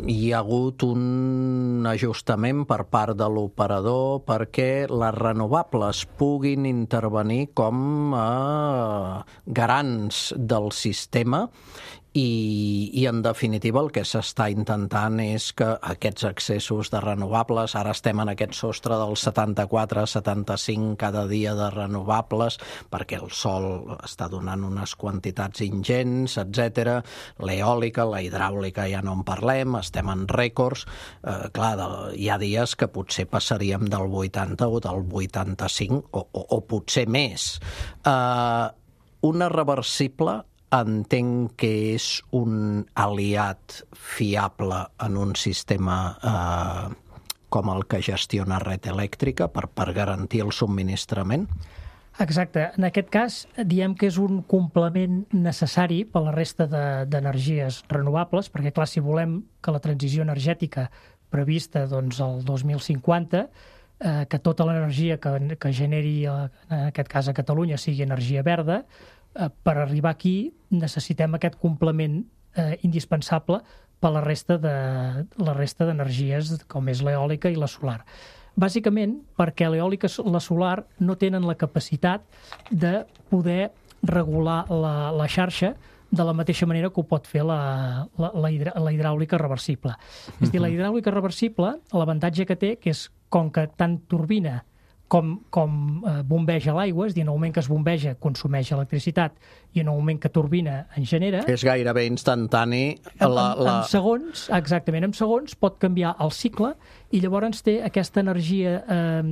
Speaker 3: hi ha hagut un ajustament per part de l'operador perquè les renovables puguin intervenir com a garants del sistema I en definitiva el que s'està intentant és que aquests excessos de renovables, ara estem en aquest sostre del 74-75 cada dia de renovables, perquè el sol està donant unes quantitats ingents, etc. L'eòlica, la hidràulica ja no en parlem, estem en rècords. Clar, hi ha dies que potser passaríem del 80 o del 85 o potser més. Una reversible entenc que és un aliat fiable en un sistema com el que gestiona Red Elèctrica per garantir el subministrament?
Speaker 6: Exacte. En aquest cas, diem que és un complement necessari per a la resta d'energies renovables, perquè, clar, si volem que la transició energètica prevista doncs, el 2050, que tota l'energia que generi, en aquest cas a Catalunya, sigui energia verda, per arribar aquí necessitem aquest complement indispensable per la resta d'energies com és l'eòlica i la solar. Bàsicament perquè l'eòlica i la solar no tenen la capacitat de poder regular la xarxa de la mateixa manera que ho pot fer la hidràulica reversible. És a dir, la hidràulica reversible, l'avantatge que té que és com que tant turbina com bombeja l'aigua, és a dir, en el moment que es bombeja consumeix electricitat i en el moment que turbina en genera...
Speaker 3: És gairebé instantani.
Speaker 6: En segons, exactament, en segons pot canviar el cicle i llavors té aquesta energia,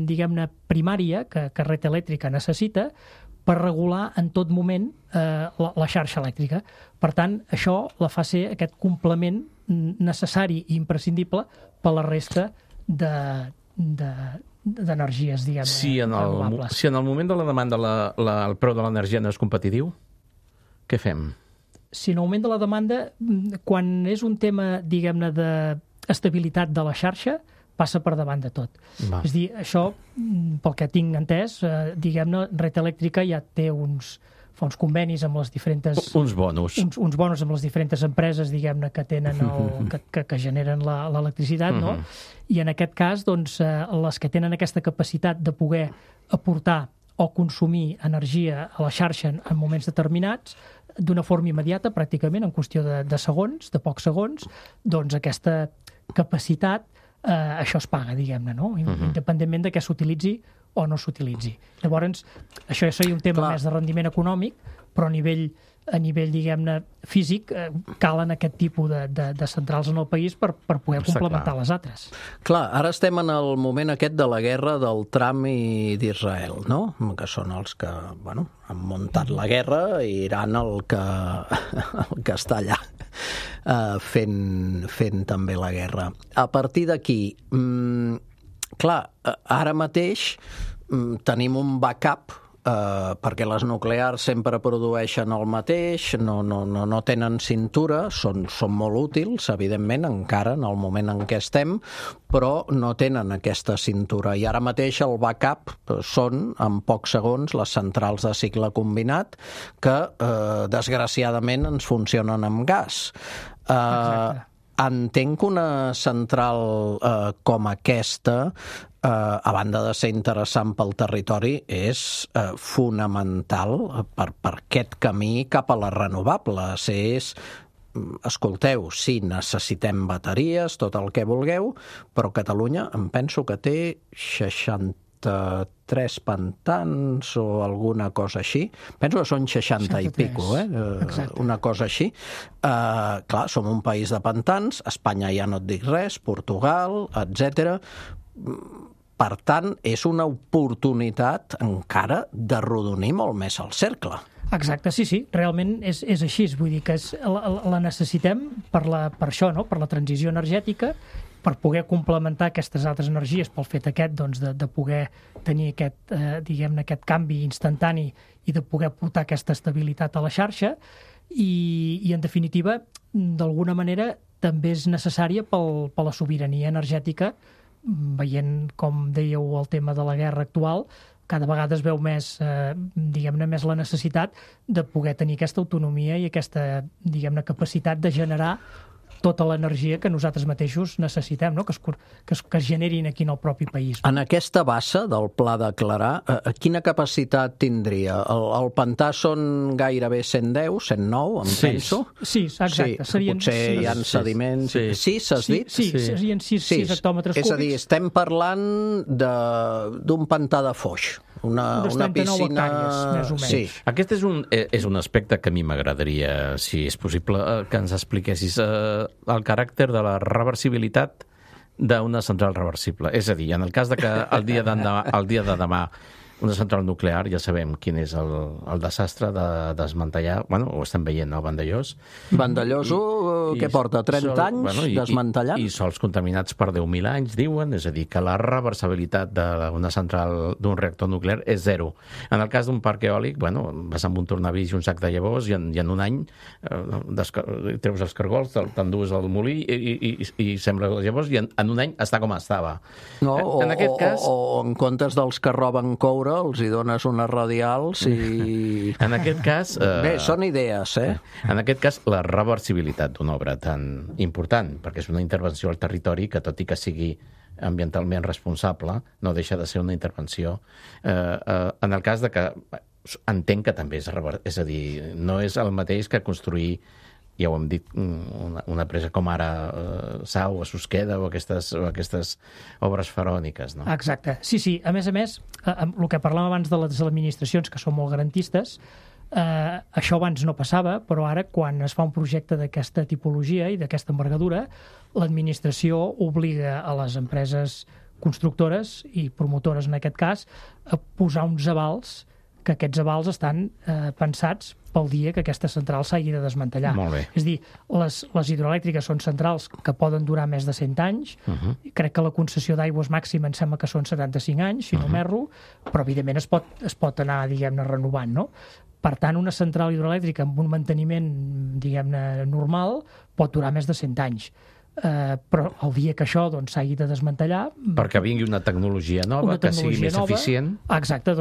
Speaker 6: diguem-ne, primària que Red Elèctrica necessita per regular en tot moment la xarxa elèctrica. Per tant, això la fa ser aquest complement necessari i imprescindible per la resta d'energies, diguem-ne, renovables.
Speaker 5: Si en el moment de la demanda el preu de l'energia no és competitiu, què fem?
Speaker 6: Si en el moment de la demanda, quan és un tema, diguem-ne, d'estabilitat de la xarxa, passa per davant de tot. És a dir, això, pel que tinc entès, diguem-ne, Red Elèctrica ja té fa uns convenis amb les diferents...
Speaker 5: Uns bonus.
Speaker 6: Uns bonus amb les diferents empreses, diguem-ne, que tenen que generen l'electricitat, no? I en aquest cas, doncs, les que tenen aquesta capacitat de poder aportar o consumir energia a la xarxa en moments determinats, d'una forma immediata, pràcticament, en qüestió de segons, de pocs segons, doncs aquesta capacitat, això es paga, diguem-ne, no? Independentment de què s'utilitzi o no s'utilitzi. Llavors, això ja seria un tema més de rendiment econòmic, però a nivell, diguem-ne, físic, calen aquest tipus de centrals en el país per poder complementar les altres.
Speaker 3: Clar, ara estem en el moment aquest de la guerra del Trump i d'Israel, no? Que són els que, bueno, han muntat la guerra i Iran el que està allà fent també la guerra. A partir d'aquí, clar, ara mateix tenim un backup perquè les nuclears sempre produeixen el mateix, no tenen cintura, són molt útils, evidentment, encara en el moment en què estem, però no tenen aquesta cintura. I ara mateix el backup són, en pocs segons, les centrals de cicle combinat que, desgraciadament, ens funcionen amb gas.
Speaker 6: Exacte.
Speaker 3: Entenc que una central com aquesta, a banda de ser interessant pel territori, és fonamental per aquest camí cap a les renovables. Escolteu, sí, necessitem bateries, tot el que vulgueu, però Catalunya em penso que té 63 pantans o alguna cosa així. Penso que són 60 i pico, una cosa així. Clar, som un país de pantans, Espanya ja no et dic res, Portugal, etc. Per tant, és una oportunitat encara de rodonir molt més el cercle.
Speaker 6: Exacte, sí, realment és així. Vull dir que la necessitem per això, no? Per la transició energètica, per poder complementar aquestes altres energies pel fet aquest, doncs, de poder tenir aquest canvi instantani i de poder portar aquesta estabilitat a la xarxa i en definitiva, d'alguna manera, també és necessària per la sobirania energètica, veient, com dèieu, el tema de la guerra actual, cada vegada es veu més, diguem-ne, més la necessitat de poder tenir aquesta autonomia i aquesta, diguem-ne, capacitat de generar tota l'energia que nosaltres mateixos necessitem, no? que es generin aquí en el propi país.
Speaker 3: En aquesta bassa del Pla de Clarà, quina capacitat tindria? El pantà són gairebé 110, 109, em penso?
Speaker 6: Sí, exacte.
Speaker 3: Potser hi ha sediments... 6, has dit?
Speaker 6: Sí, serien 6 hectòmetres cúbics.
Speaker 3: És a dir, estem parlant d'un pantà de Foix. Una piscina...
Speaker 6: hectàrees, més o menys.
Speaker 3: Sí.
Speaker 5: Aquest és un aspecte que a mi m'agradaria, si és possible, que ens expliquessis el caràcter de la reversibilitat d'una central reversible. És a dir, en el cas de que el dia de demà una central nuclear, ja sabem quin és el desastre de desmantellar, ho estem veient, no? Vandellós.
Speaker 3: Vandellós, què porta? 30 anys desmantellant?
Speaker 5: I sols contaminats per 10.000 anys, diuen, és a dir, que la reversibilitat d'una central, d'un reactor nuclear és zero. En el cas d'un parc eòlic, vas amb un tornavís i un sac de llavors i en un any treus els cargols, t'endues al molí i sembres les llavors i en un any està com estava.
Speaker 3: No, o en comptes dels que roben coure, els hi dones unes radials i...
Speaker 5: En aquest cas...
Speaker 3: Bé, són idees, eh?
Speaker 5: En aquest cas, la reversibilitat d'una obra tan important, perquè és una intervenció al territori que, tot i que sigui ambientalment responsable, no deixa de ser una intervenció. En el cas de que... Entenc que també és a dir, no és el mateix que construir, ja ho hem dit, una presa com ara Sau o Susqueda o aquestes obres faraòniques, no?
Speaker 6: Exacte. Sí. A més, el que parlàvem abans de les administracions, que són molt garantistes, això abans no passava, però ara, quan es fa un projecte d'aquesta tipologia i d'aquesta envergadura, l'administració obliga a les empreses constructores i promotores, en aquest cas, a posar uns avals, que aquests avals estan pensats pel dia que aquesta central s'hagi de desmantellar.
Speaker 5: Molt bé.
Speaker 6: És a dir, les hidroelèctriques són centrals que poden durar més de 100 anys. Crec que la concessió d'aigües màxima em sembla que són 75 anys, si no m'erro, però evidentment es pot anar, diguem-ne, renovant, no? Per tant, una central hidroelèctrica amb un manteniment, diguem-ne, normal pot durar més de 100 anys. Però el dia que això s'hagi de desmantellar...
Speaker 5: Perquè vingui una tecnologia nova, que sigui més eficient.
Speaker 6: Exacte,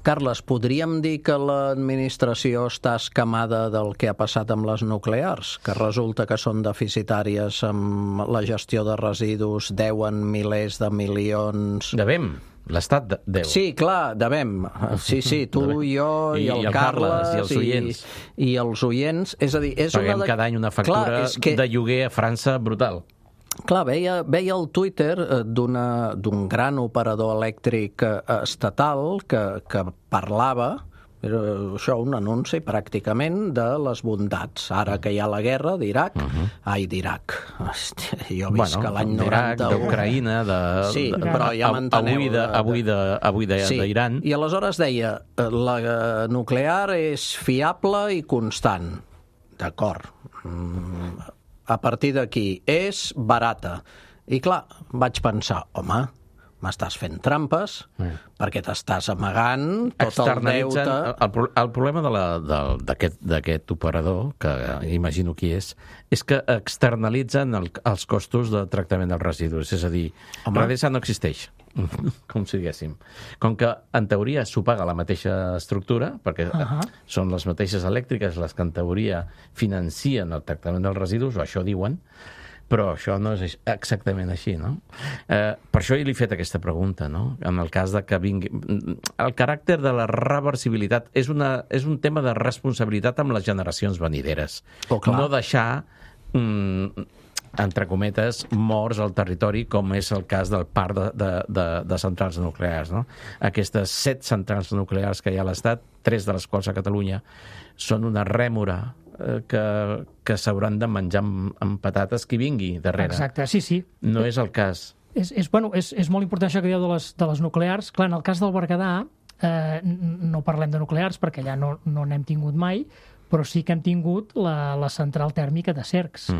Speaker 3: Carles, podríem dir que l'administració està escamada del que ha passat amb les nuclears, que resulta que són deficitàries amb la gestió de residus, deuen milers de milions...
Speaker 5: Devem. L'Estat deu.
Speaker 3: Sí, clar, devem. Sí, tu, jo i el Carles
Speaker 5: i els oients.
Speaker 3: I els oients. És a dir,
Speaker 5: paguem cada any una factura de lloguer a França brutal.
Speaker 3: Clar, veia el Twitter d'un gran operador elèctric estatal que parlava, era això un anunci pràcticament de les bondats. Ara que hi ha la guerra d'Iraq, d'Iraq. Jo visc l'any 91.
Speaker 5: D'Ucraïna,
Speaker 3: sí, però ja m'enteneu.
Speaker 5: Avui d'Iran.
Speaker 3: I aleshores deia, la nuclear és fiable i constant. D'acord. A partir d'aquí, és barata. I clar, vaig pensar, home, m'estàs fent trampes, perquè t'estàs amagant tot el deute...
Speaker 5: El problema d'aquest operador, que imagino qui és que externalitzen els costos de tractament dels residus. És a dir, Redesa no existeix, com si diguéssim. Com que, en teoria, s'ho paga la mateixa estructura, perquè són les mateixes elèctriques les que, en teoria, financien el tractament dels residus, o això diuen, però això no és exactament així, no? Per això li he fet aquesta pregunta, no? En el cas de que vingui... El caràcter de la reversibilitat és un tema de responsabilitat amb les generacions venideres. No deixar, entre cometes, morts al territori, com és el cas del parc de centrals nuclears, no? Aquestes 7 centrals nuclears que hi ha a l'Estat, 3 de les quals a Catalunya, són una rèmora que s'hauran de menjar amb patates qui vingui darrere.
Speaker 6: Exacte, sí.
Speaker 5: No és el cas.
Speaker 6: És molt important això que dieu de les nuclears. Clar, en el cas del Berguedà no parlem de nuclears perquè allà no n'hem tingut mai, però sí que hem tingut la central tèrmica de Cercs,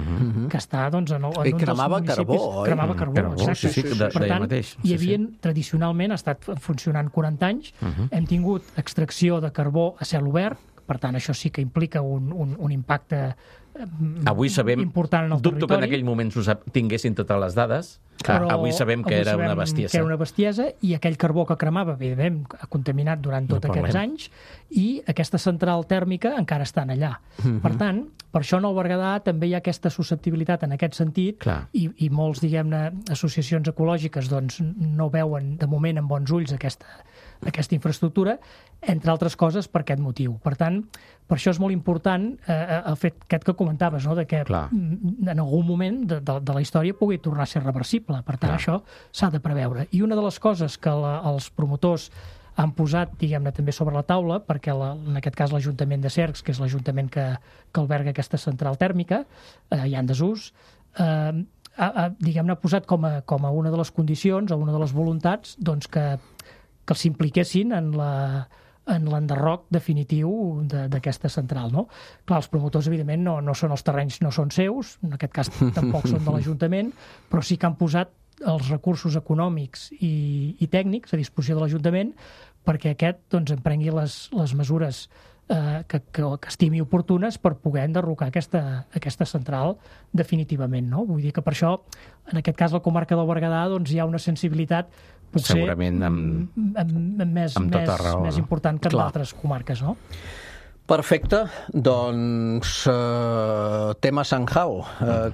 Speaker 6: que està en un dels municipis...
Speaker 3: I cremava carbó, oi?
Speaker 6: Cremava carbó, exacte.
Speaker 5: Sí,
Speaker 6: per tant, hi havia, tradicionalment, ha estat funcionant 40 anys, hem tingut extracció de carbó a cel obert, Per tant, això sí que implica un impacte
Speaker 5: avui sabem,
Speaker 6: important en el
Speaker 5: dubto
Speaker 6: territori.
Speaker 5: que en aquell moment tinguessin totes les dades.
Speaker 6: Però
Speaker 5: Avui sabem que era una bestiesa.
Speaker 6: Que era una bestiesa, i aquell carbó que cremava, evidentment, ha contaminat durant tots aquests anys, i aquesta central tèrmica encara estan allà. Per tant, per això en el Berguedà també hi ha aquesta susceptibilitat en aquest sentit, i molts, diguem-ne, associacions ecològiques doncs, no veuen de moment amb bons ulls aquesta infraestructura, entre altres coses per aquest motiu. Per tant, per això és molt important el fet aquest que comentaves, no? De que en algun moment de la història pugui tornar a ser reversible. Per tant, això s'ha de preveure. I una de les coses que els promotors han posat, diguem-ne, també sobre la taula, perquè en aquest cas l'Ajuntament de Cercs, que és l'Ajuntament que alberga aquesta central tèrmica, ja en desús, diguem-ne, ha posat com a una de les condicions o una de les voluntats doncs, que s'impliquessin en l'enderroc definitiu d'aquesta central, no? Clar, els promotors, evidentment, no són els terrenys, no són seus, en aquest cas tampoc són de l'Ajuntament, però sí que han posat els recursos econòmics i tècnics a disposició de l'Ajuntament perquè aquest doncs, emprengui les mesures que estimi oportunes per poder enderrocar aquesta central definitivament, no? Vull dir que per això, en aquest cas, la comarca del Berguedà doncs, hi ha una sensibilitat potser
Speaker 5: segurament
Speaker 6: més important que en altres comarques, no?
Speaker 3: Perfecte, doncs tema Sanjao,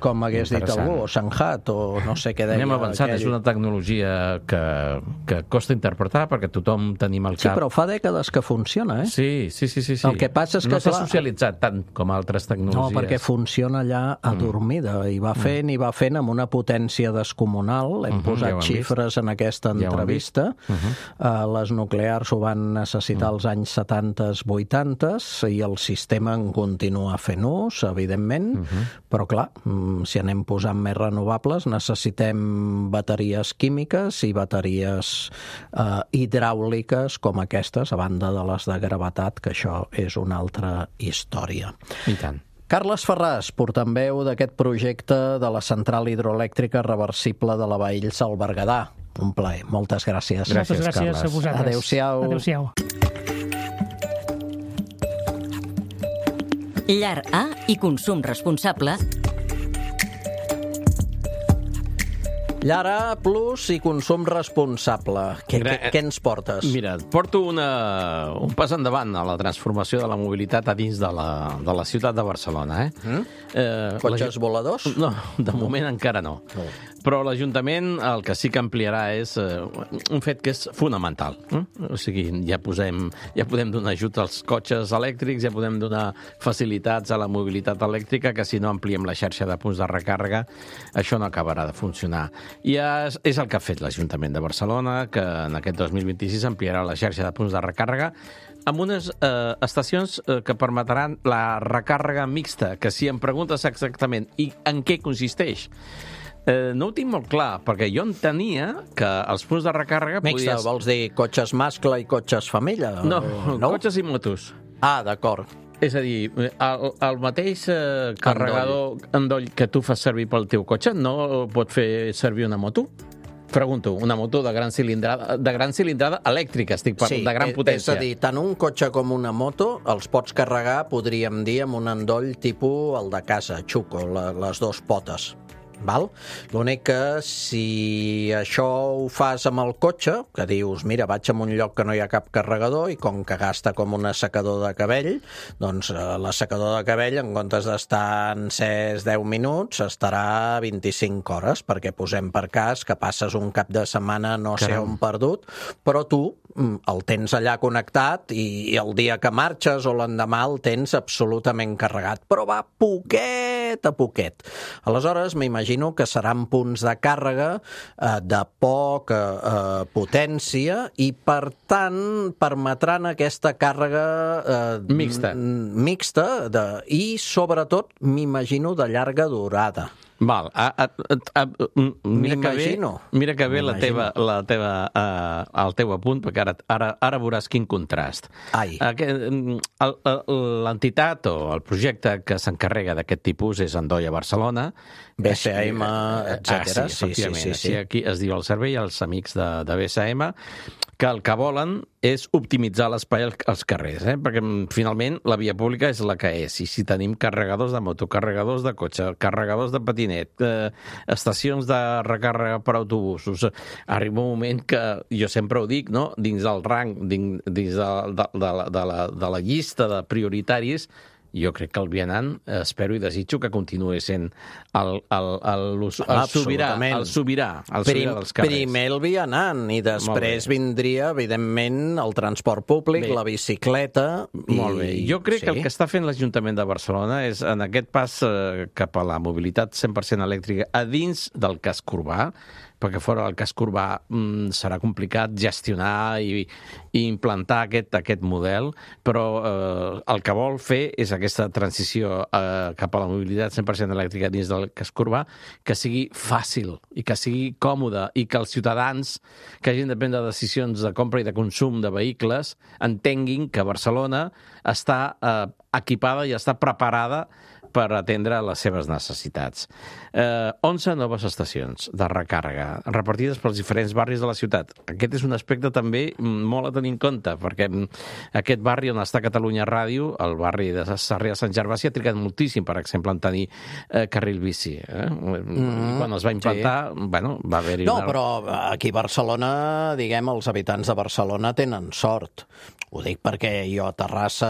Speaker 3: com hagués dit algú, o Sanjat, o no sé què deia.
Speaker 5: Anem avançant, és una tecnologia que costa interpretar perquè tothom tenim al cap.
Speaker 3: Sí, però fa dècades que funciona, eh?
Speaker 5: Sí.
Speaker 3: El que passa és que,
Speaker 5: no s'ha socialitzat tant com altres tecnologies.
Speaker 3: No, perquè funciona allà adormida, i va fent amb una potència descomunal. Hem posat xifres en aquesta entrevista. Les nuclears ho van necessitar als anys 70s, 80s, i el sistema en continua fent ús, evidentment, però clar, si anem posant més renovables necessitem bateries químiques i bateries hidràuliques com aquestes, a banda de les de gravetat, que això és una altra història.
Speaker 5: I tant.
Speaker 3: Carles Ferràs, portaveu d'aquest projecte de la central hidroelèctrica reversible de la Baells al Berguedà. Un plaer. Moltes gràcies.
Speaker 6: Moltes gràcies a vosaltres.
Speaker 3: Adéu-siau.
Speaker 6: Adéu-siau.
Speaker 1: Llar A i consum responsable.
Speaker 3: Llar A Plus i consum responsable. Què ens portes?
Speaker 5: Mira, porto un pas endavant a la transformació de la mobilitat a dins de la ciutat de Barcelona.
Speaker 3: Cotxes voladors?
Speaker 5: No, de moment encara no. Però l'Ajuntament el que sí que ampliarà és un fet que és fonamental. O sigui, ja podem donar ajut als cotxes elèctrics, ja podem donar facilitats a la mobilitat elèctrica, que si no ampliem la xarxa de punts de recàrrega, això no acabarà de funcionar. I és el que ha fet l'Ajuntament de Barcelona, que en aquest 2026 ampliarà la xarxa de punts de recàrrega amb unes estacions que permetran la recàrrega mixta, que si em preguntes exactament i en què consisteix, no ho tinc molt clar, perquè jo entenia que els punts de recàrrega...
Speaker 3: Mixta, vols dir cotxes mascle i cotxes femella?
Speaker 5: No, cotxes i motos.
Speaker 3: Ah, d'acord.
Speaker 5: És a dir, el mateix carregador endoll que tu fas servir pel teu cotxe no pot fer servir una moto? Pregunto, una moto de gran cilindrada elèctrica, estic parlant, de gran potència.
Speaker 3: És a dir, tant un cotxe com una moto els pots carregar, podríem dir, amb un endoll tipus el de casa, xuco, les dues potes. Val? L'únic que si això ho fas amb el cotxe, que dius, mira, vaig a un lloc que no hi ha cap carregador i com que gasta com un assecador de cabell, doncs l'assecador de cabell, en comptes d'estar encès 10 minuts, estarà 25 hores, perquè posem per cas que passes un cap de setmana no sé on perdut, però tu el tens allà connectat i el dia que marxes o l'endemà el tens absolutament carregat, però va poquet a poquet. Aleshores, m'imagino que seran punts de càrrega de poca potència i, per tant, permetran aquesta càrrega mixta i, sobretot, m'imagino de llarga durada.
Speaker 5: Val. Mira que bé el teu apunt, perquè ara veuràs quin contrast. L'entitat o el projecte que s'encarrega d'aquest tipus és Andoia Barcelona.
Speaker 3: BCM, etc.
Speaker 5: Sí. Aquí es diu el servei als amics de BCM, que el que volen és optimitzar l'espai als carrers, perquè finalment la via pública és la que és, i si tenim carregadors de moto, carregadors de cotxe, carregadors de patinet, estacions de recàrrega per autobusos, arriba un moment que, jo sempre ho dic, no? Dins del rang, dins de la llista de prioritaris, jo crec que el vianant, espero i desitjo que continuï sent el sobirà dels carrers.
Speaker 3: Primer el vianant i després vindria, evidentment, el transport públic, la bicicleta...
Speaker 5: Molt bé. Jo crec que el que està fent l'Ajuntament de Barcelona és, en aquest pas cap a la mobilitat 100% elèctrica a dins del casc urbà, perquè fora del casc urbà serà complicat gestionar i implantar aquest model, però el que vol fer és aquesta transició cap a la mobilitat 100% elèctrica dins del casc urbà, que sigui fàcil i que sigui còmode i que els ciutadans que hagin de prendre decisions de compra i de consum de vehicles entenguin que Barcelona està equipada i està preparada per atendre les seves necessitats. 11 noves estacions de recàrrega repartides pels diferents barris de la ciutat. Aquest és un aspecte també molt a tenir en compte, perquè aquest barri on està Catalunya Ràdio, el barri de Sarrià de Sant Gervasi, ha trigat moltíssim, per exemple, en tenir carril bici. Quan es va implantar, va haver-hi una...
Speaker 3: No, però aquí a Barcelona, diguem, els habitants de Barcelona tenen sort. Ho dic perquè jo a Terrassa,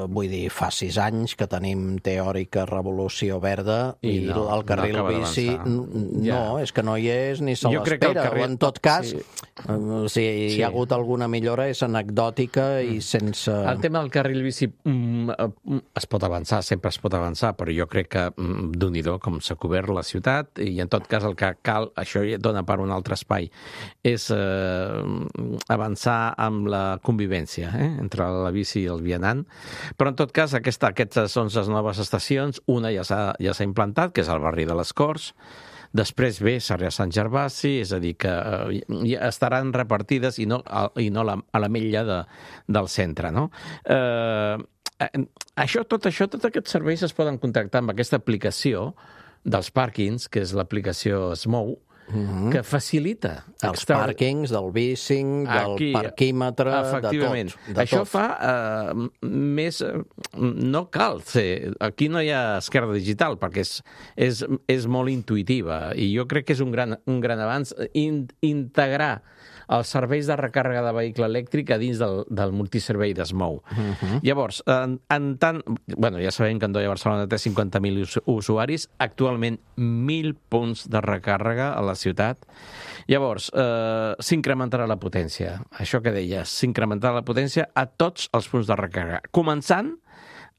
Speaker 3: vull dir, fa 6 anys que tenim teòrica revolució verda i el carril bici no, és que no hi és ni se l'espera. O en tot cas, si hi ha hagut alguna millora és anecdòtica i sense...
Speaker 5: El tema del carril bici es pot avançar, sempre es pot avançar, però jo crec que d'un-i-do com s'ha cobert la ciutat i en tot cas el que cal, això dona per un altre espai, és avançar amb la convivència entre la bici i el vianant, però en tot cas aquestes 11 noves estacions, una ja s'ha implantat, que és el barri de les Corts, després ve Sarrià Sant Gervasi, és a dir, que ja estaran repartides i no a l'ametlla del centre, no? Tots aquests serveis es poden contactar amb aquesta aplicació dels pàrquings, que és l'aplicació Smou, que facilita
Speaker 3: els pàrquings, del bicing, del parquímetre,
Speaker 5: efectivament.
Speaker 3: De tot.
Speaker 5: Això fa més... No cal fer... Aquí no hi ha esquerda digital, perquè és molt intuïtiva, i jo crec que és un gran avanç integrar els serveis de recàrrega de vehicle elèctric a dins del multiservei d'Smou. Llavors, ja sabem que Andoia Barcelona té 50.000 usuaris, actualment 1.000 punts de recàrrega a la ciutat. Llavors, s'incrementarà la potència. Això que deies, s'incrementarà la potència a tots els punts de recàrrega, començant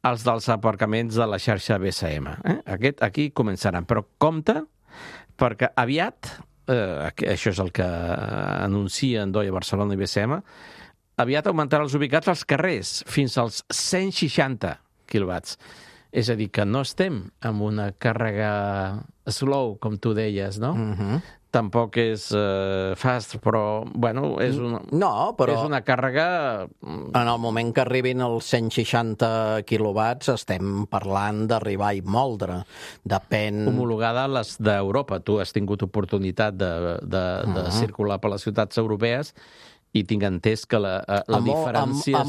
Speaker 5: els dels aparcaments de la xarxa BCM. Aquí començaran, però compte, perquè aviat... això és el que anuncia Andoia Barcelona i BCM, aviat augmentarà els ubicats als carrers fins als 160 quilowatts. És a dir, que no estem amb una càrrega slow, com tu deies, no? Tampoc és fast, però, és una càrrega...
Speaker 3: En el moment que arribin els 160 quilowatts estem parlant d'arribar i moldre. Depèn...
Speaker 5: Homologada a les d'Europa. Tu has tingut oportunitat de circular per les ciutats europees i tinc entès que la diferència...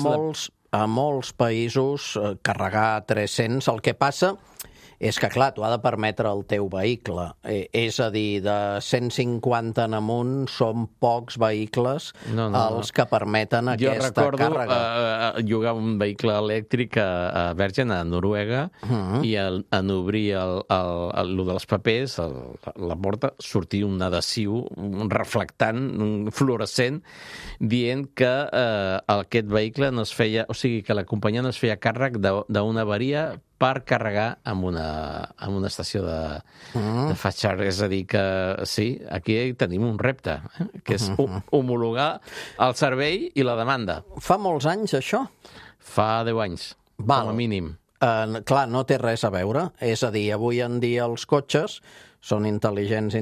Speaker 3: A molts països carregar 300, el que passa és que, clar, t'ho ha de permetre el teu vehicle. És a dir, de 150 en amunt són pocs vehicles els que permeten aquesta càrrega.
Speaker 5: Jo recordo llogar un vehicle elèctric a Bergen, a Noruega, i en obrir el dels papers, la porta, sortia un adhesiu, un reflectant, un fluorescent, dient que aquest vehicle no es feia... O sigui, que la companyia no es feia càrrec d'una avaria per carregar amb una estació de fast charge. És a dir, que sí, aquí tenim un repte, que és homologar el servei i la demanda.
Speaker 3: Fa molts anys, això?
Speaker 5: Fa 10 anys, com a mínim.
Speaker 3: Clar, no té res a veure. És a dir, avui en dia els cotxes són intel·ligents,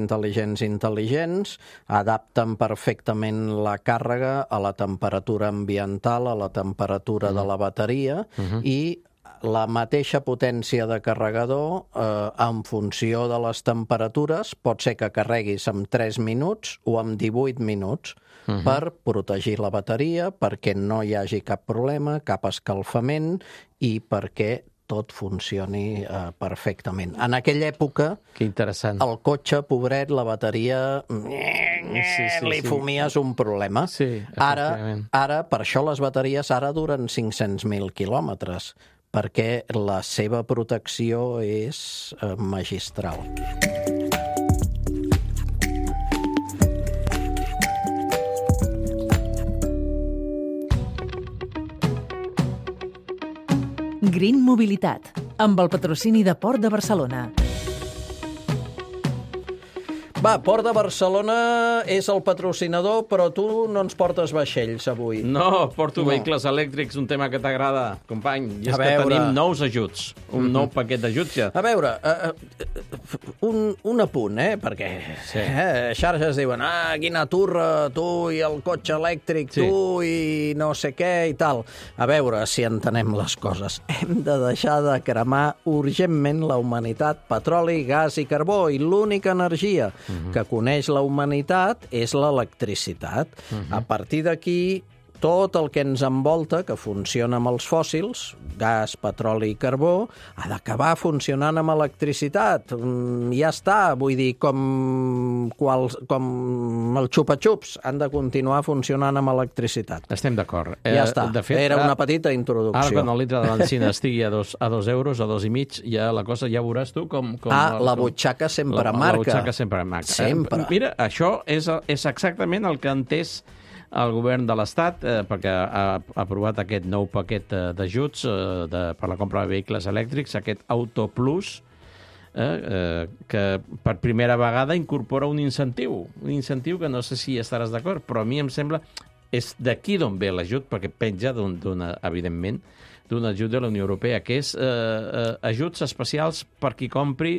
Speaker 3: adapten perfectament la càrrega a la temperatura ambiental, a la temperatura de la bateria, i la mateixa potència de carregador, en funció de les temperatures, pot ser que carreguis en 3 minuts o en 18 minuts, per protegir la bateria, perquè no hi hagi cap problema, cap escalfament, i perquè tot funcioni perfectament. En aquella època, el cotxe, pobret, la bateria, li fumies un problema. Ara, per això les bateries ara duren 500.000 quilòmetres, perquè la seva protecció és magistral.
Speaker 7: Green Mobilitat, amb el patrocini de Port de Barcelona.
Speaker 3: Va, Port de Barcelona és el patrocinador, però tu no ens portes vaixells avui.
Speaker 5: No, porto vehicles elèctrics, un tema que t'agrada, company. I és que tenim nous ajuts, un nou paquet d'ajuts ja.
Speaker 3: A veure, un apunt, perquè xarxes diuen, quina turra, tu i el cotxe elèctric, tu i no sé què i tal. A veure si entenem les coses. Hem de deixar de cremar urgentment la humanitat petroli, gas i carbó, i l'única energia que coneix la humanitat és l'electricitat. A partir d'aquí, tot el que ens envolta, que funciona amb els fòssils, gas, petroli i carbó, ha d'acabar funcionant amb electricitat. Ja està, vull dir, com el xupa-xups, han de continuar funcionant amb electricitat.
Speaker 5: Estem d'acord.
Speaker 3: Ja està,
Speaker 5: de fet,
Speaker 3: era una petita introducció.
Speaker 5: Ara, quan el litre de benzina estigui a 2 euros, a 2,5, ja la cosa, ja veuràs tu com...
Speaker 3: La butxaca sempre marca.
Speaker 5: La butxaca sempre marca.
Speaker 3: Sempre.
Speaker 5: Mira, això és exactament el que ha entès el govern de l'Estat, perquè ha aprovat aquest nou paquet d'ajuts per la compra de vehicles elèctrics, aquest Auto Plus, que per primera vegada incorpora un incentiu que no sé si estaràs d'acord, però a mi em sembla és d'aquí d'on ve l'ajut, perquè penja evidentment d'un ajut de la Unió Europea, que és ajuts especials per qui compri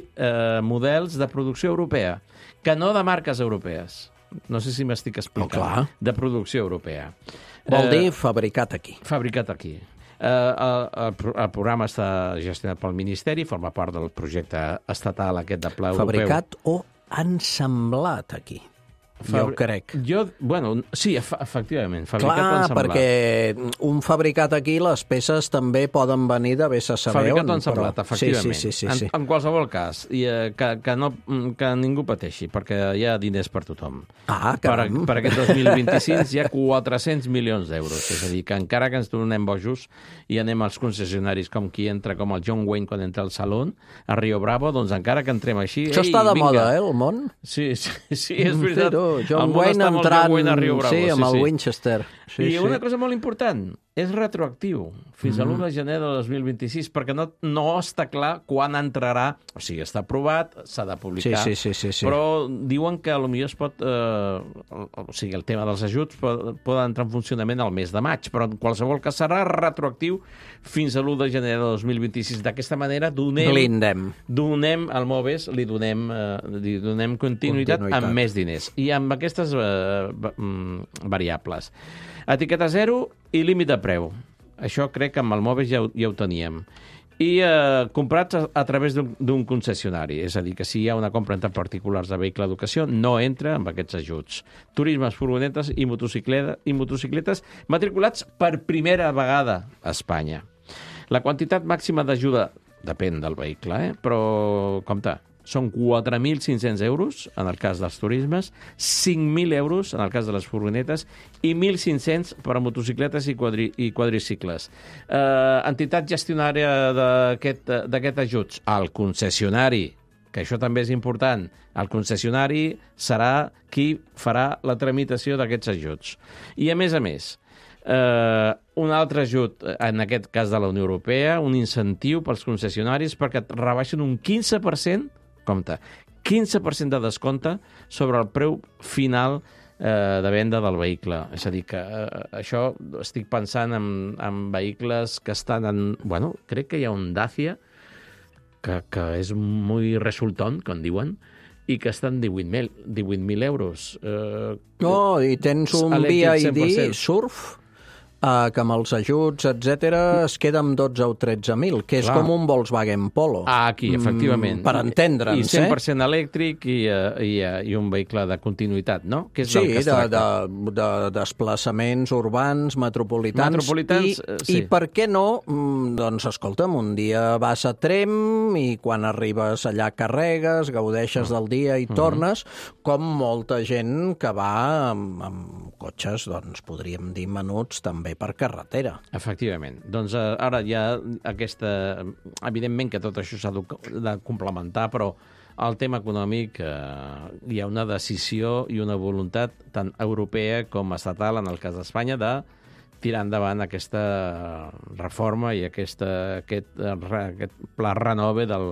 Speaker 5: models de producció europea, que no de marques europees. No sé si m'estic explicant. De producció europea.
Speaker 3: Vol dir fabricat aquí.
Speaker 5: Fabricat aquí. El programa està gestionat pel Ministeri, forma part del projecte estatal aquest de pla europeu.
Speaker 3: Fabricat o ensamblat aquí. Jo crec.
Speaker 5: Sí, efectivament. Fabricat o ensamblat.
Speaker 3: Perquè un fabricat aquí, les peces també poden venir de vés a saber
Speaker 5: fabricat o ensamblat, efectivament.
Speaker 3: Sí.
Speaker 5: En qualsevol cas, que ningú pateixi, perquè hi ha diners per tothom.
Speaker 3: Caram.
Speaker 5: Per aquest 2026 hi ha 400 milions d'euros. És a dir, que encara que ens donem bojos i anem als concessionaris com qui entra, com el John Wayne quan entra al Salón, a Rio Bravo, doncs encara que entrem així...
Speaker 3: Això està de moda, el món?
Speaker 5: Sí, és veritat.
Speaker 3: John Wayne entrant, amb el Winchester.
Speaker 5: Una cosa molt important, és retroactiu, fins a l'1 de gener de 2026, perquè no està clar quan entrarà, o sigui, està aprovat, s'ha de publicar, però diuen que potser es pot, o sigui, el tema dels ajuts pot entrar en funcionament al mes de maig, però en qualsevol cas serà retroactiu fins a l'1 de gener de 2026. D'aquesta manera donem al MOVES, li donem continuïtat amb més diners i amb aquestes variables. Etiqueta zero i límit de preu. Això crec que amb el MOVES ja ho teníem. I comprats a través d'un concessionari. És a dir, que si hi ha una compra entre particulars de vehicle d'educació, no entra amb aquests ajuts. Turismes, furgonetes i motocicletes matriculats per primera vegada a Espanya. La quantitat màxima d'ajuda depèn del vehicle, però compte, són 4.500 euros en el cas dels turismes, 5.000 euros en el cas de les furgonetes i 1.500 per a motocicletes i quadricicles. Entitat gestionària d'aquest ajuts, el concessionari, que això també és important. El concessionari serà qui farà la tramitació d'aquests ajuts. I a més, un altre ajut, en aquest cas de la Unió Europea, un incentiu pels concessionaris perquè et rebaixen un 15%, compte, 15% de descompte sobre el preu final de venda del vehicle. És a dir, que això estic pensant en vehicles que estan en... Bueno, crec que hi ha un Dacia que és molt resultón, com diuen, i que estan 18.000 euros.
Speaker 3: I tens un BID Surf que amb els ajuts, etc es queda amb 12 o 13.000, que és com un Volkswagen Polo.
Speaker 5: Aquí, efectivament.
Speaker 3: Per entendre'ns,
Speaker 5: I 100% elèctric i un vehicle de continuïtat, no? Que és
Speaker 3: sí,
Speaker 5: del que es tracta.
Speaker 3: de desplaçaments urbans, metropolitans.
Speaker 5: Sí.
Speaker 3: I per què no? Doncs escolta'm, un dia vas a Trem i quan arribes allà carregues, gaudeixes del dia i tornes, com molta gent que va amb cotxes, doncs podríem dir menuts, també per carretera.
Speaker 5: Efectivament. Doncs ara hi ha aquesta... Evidentment que tot això s'ha de complementar, però el tema econòmic hi ha una decisió i una voluntat tant europea com estatal, en el cas d'Espanya, de tirar endavant aquesta reforma i aquest pla renove del...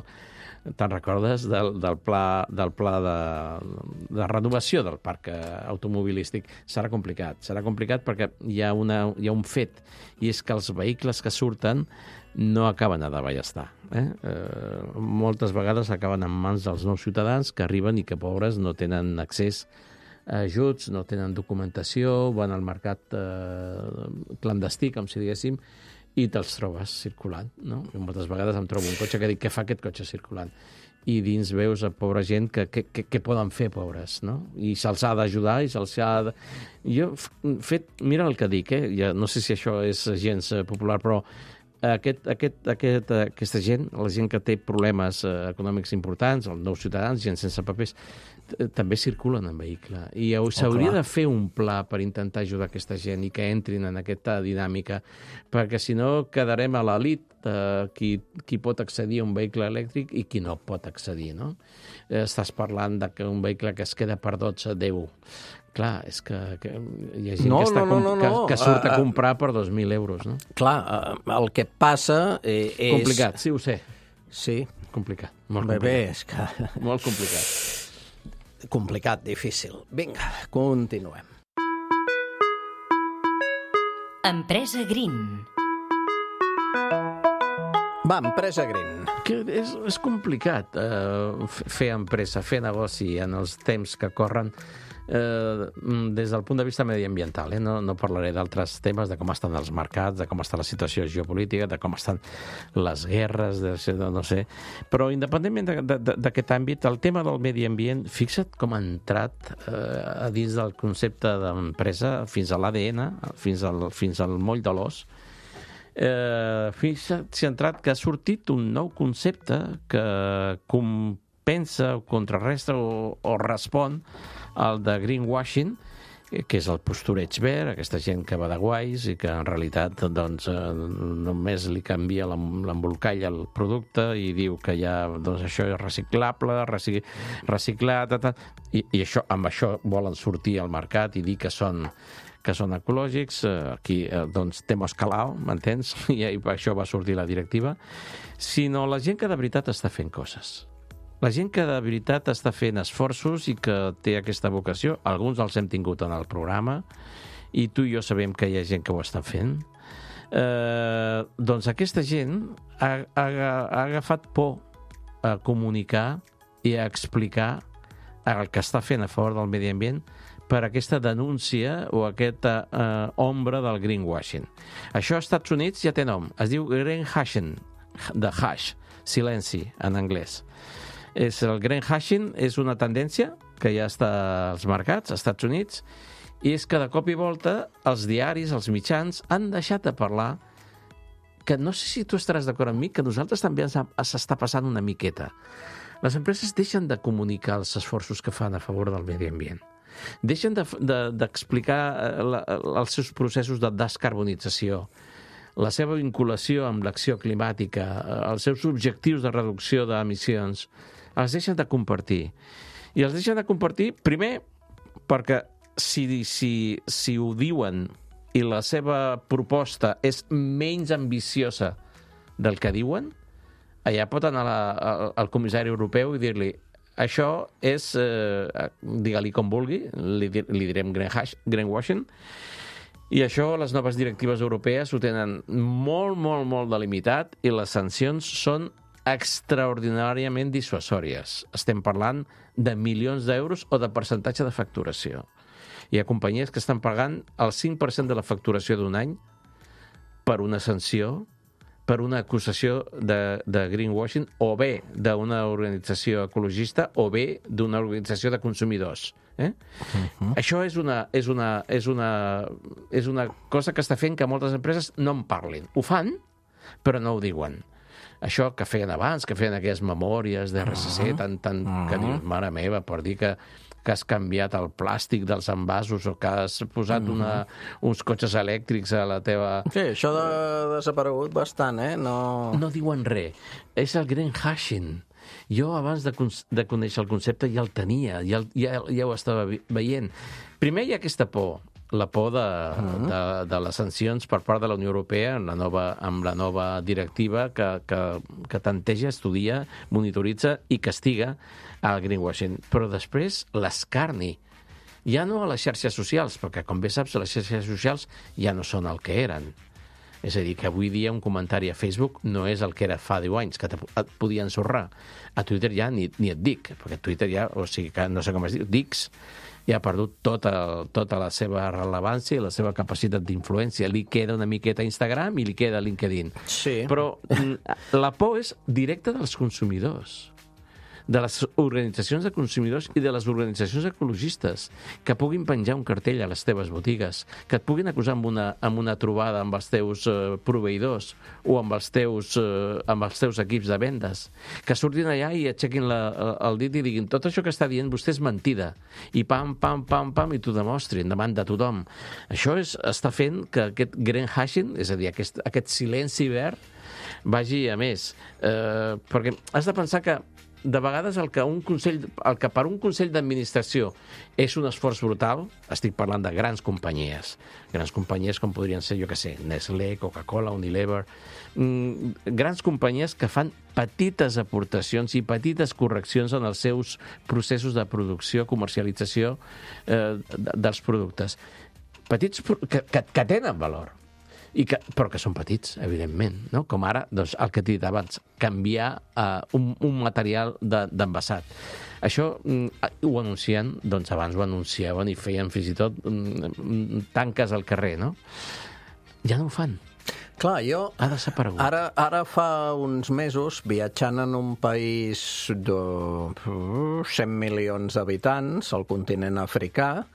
Speaker 5: Te'n recordes del pla de renovació del parc automobilístic? Serà complicat perquè hi ha un fet, i és que els vehicles que surten no acaben a davallestar. Moltes vegades acaben en mans dels nous ciutadans que arriben i que, pobres, no tenen accés a ajuts, no tenen documentació, van al mercat clandestí, com si diguéssim, i te'ls trobes circulant, no? I moltes vegades em trobo un cotxe que dic, què fa aquest cotxe circulant? I dins veus a pobra gent que què poden fer, pobres, no? I se'ls ha d'ajudar i se'ls ha de... Jo, mira el que dic, ja no sé si això és gens popular, però aquesta gent, la gent que té problemes econòmics importants, els nous ciutadans, gent sense papers, també circulen en vehicle. I s'hauria de fer un pla per intentar ajudar aquesta gent i que entrin en aquesta dinàmica, perquè si no quedarem a l'elit qui pot accedir a un vehicle elèctric i qui no pot accedir, no? Estàs parlant d'un vehicle que es queda per 12-10. Clar, és que hi ha gent que surt a comprar per 2.000 euros, no?
Speaker 3: Clar, el que passa és...
Speaker 5: Complicat, sí, ho sé.
Speaker 3: Sí.
Speaker 5: Complicat, molt complicat.
Speaker 3: Bé, és que...
Speaker 5: Molt complicat.
Speaker 3: Complicat, difícil. Vinga, continuem.
Speaker 1: Empresa Green.
Speaker 3: Va, empresa Green.
Speaker 5: Que és complicat fer empresa, fer negoci en els temps que corren des del punt de vista mediambiental. No parlaré d'altres temes, de com estan els mercats, de com està la situació geopolítica, de com estan les guerres, no sé. Però independentment d'aquest àmbit, el tema del medi ambient, fixa't com ha entrat a dins del concepte d'empresa fins a l'ADN, fins al moll de l'os. Fixa't si ha entrat que ha sortit un nou concepte que compensa o contrarresta o respon al de greenwashing, que és el postureig verd, aquesta gent que va de guais i que en realitat doncs, només li canvia l'embolcall al producte i diu que ja doncs, això és reciclable, reciclat, i això, amb això volen sortir al mercat i dir que són ecològics. Aquí doncs temos calao, m'entens? I per això va sortir la directiva. Sinó la gent que de veritat està fent coses. La gent que de veritat està fent esforços i que té aquesta vocació, alguns els hem tingut en el programa, i tu i jo sabem que hi ha gent que ho està fent, doncs aquesta gent ha agafat por a comunicar i a explicar el que està fent a favor del medi ambient per aquesta denúncia o aquesta ombra del greenwashing. Això als Estats Units ja té nom, es diu greenwashing, de hash, silenci en anglès. El greenwashing és una tendència que ja està als mercats, als Estats Units, i és que de cop i volta els diaris, els mitjans, han deixat de parlar, que no sé si tu estaràs d'acord amb mi, que nosaltres també s'està passant una miqueta. Les empreses deixen de comunicar els esforços que fan a favor del medi ambient. Deixen d'explicar els seus processos de descarbonització, la seva vinculació amb l'acció climàtica, els seus objectius de reducció d'emissions, els deixen de compartir. I els deixen de compartir, primer, perquè si ho diuen i la seva proposta és menys ambiciosa del que diuen, allà pot anar al comissari europeu i dir-li això és, digue-li com vulgui, li direm greenwashing, i això les noves directives europees ho tenen molt, molt, molt delimitat i les sancions són extraordinàriament dissuasòries. Estem parlant de milions d'euros o de percentatge de facturació. Hi ha companyies que estan pagant el 5% de la facturació d'un any per una sanció, per una acusació de greenwashing, o bé d'una organització ecologista o bé d'una organització de consumidors. Això és una cosa que està fent que moltes empreses no en parlin. Ho fan, però no ho diuen. Això que feien abans, que feien aquelles memòries de RSC, que dius, mare meva, per dir que has canviat el plàstic dels envasos o que has posat uns cotxes elèctrics a la teva...
Speaker 3: Sí, això ha desaparegut bastant,
Speaker 5: No diuen res. És el greenwashing. Jo, abans de conèixer el concepte, ja el tenia, ja ho estava veient. Primer hi ha aquesta por, la por de les sancions per part de la Unió Europea amb la nova directiva que tanteja, estudia, monitoritza i castiga el greenwashing. Però després l'escarni, ja no a les xarxes socials, perquè, com bé saps, les xarxes socials ja no són el que eren. És a dir, que avui dia un comentari a Facebook no és el que era fa 10 anys, que et podia ensorrar. A Twitter ja ni et dic, perquè Twitter ja, o sigui, que no sé com es diu, Dix, ja ha perdut tota la seva rellevància i la seva capacitat d'influència. Li queda una miqueta a Instagram i li queda a LinkedIn.
Speaker 3: Sí.
Speaker 5: Però la por és directa dels consumidors, de les organitzacions de consumidors i de les organitzacions ecologistes, que puguin penjar un cartell a les teves botigues, que et puguin acusar amb una trobada amb els teus proveïdors o amb els teus equips de vendes, que surtin allà i aixequin el dit i diguin tot això que està dient vostè és mentida, i pam, i t'ho demostrin davant de tothom. Això està fent que aquest greenwashing, és a dir, aquest silenci verd, vagi a més. Perquè has de pensar que de vegades el que per un consell d'administració és un esforç brutal, estic parlant de grans companyies com podrien ser, jo què sé, Nestlé, Coca-Cola, Unilever, grans companyies que fan petites aportacions i petites correccions en els seus processos de producció, comercialització dels productes. Petits que tenen valor. Però que són petits, evidentment, no? Com ara, doncs, el que t'he dit abans, canviar un material d'envasat. Això ho anuncien, doncs abans ho anunciaven i feien fins i tot tanques al carrer, no? Ja no ho fan.
Speaker 3: Clar,
Speaker 5: ha desaparegut.
Speaker 3: Ara fa uns mesos, viatjant en un país de 100 milions d'habitants, al continent africà,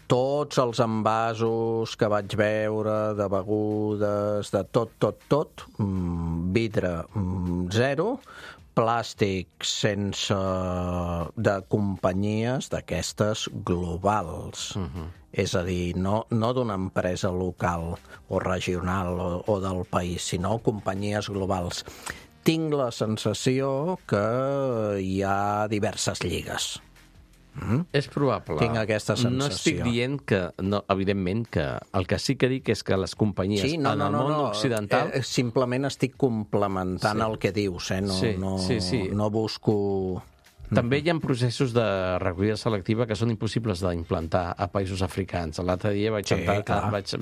Speaker 3: tots els envasos que vaig veure de begudes, de tot, vidre zero, plàstic sense de companyies d'aquestes globals. És a dir, no d'una empresa local o regional o del país, sinó companyies globals. Tinc la sensació que hi ha diverses lligues.
Speaker 5: És probable.
Speaker 3: Tinc aquesta sensació.
Speaker 5: No estic dient que, evidentment, que el que sí que dic és que les companyies en el món occidental...
Speaker 3: Simplement estic complementant el que dius, no busco...
Speaker 5: També hi ha processos de recollida selectiva que són impossibles d'implantar a països africans. L'altre dia vaig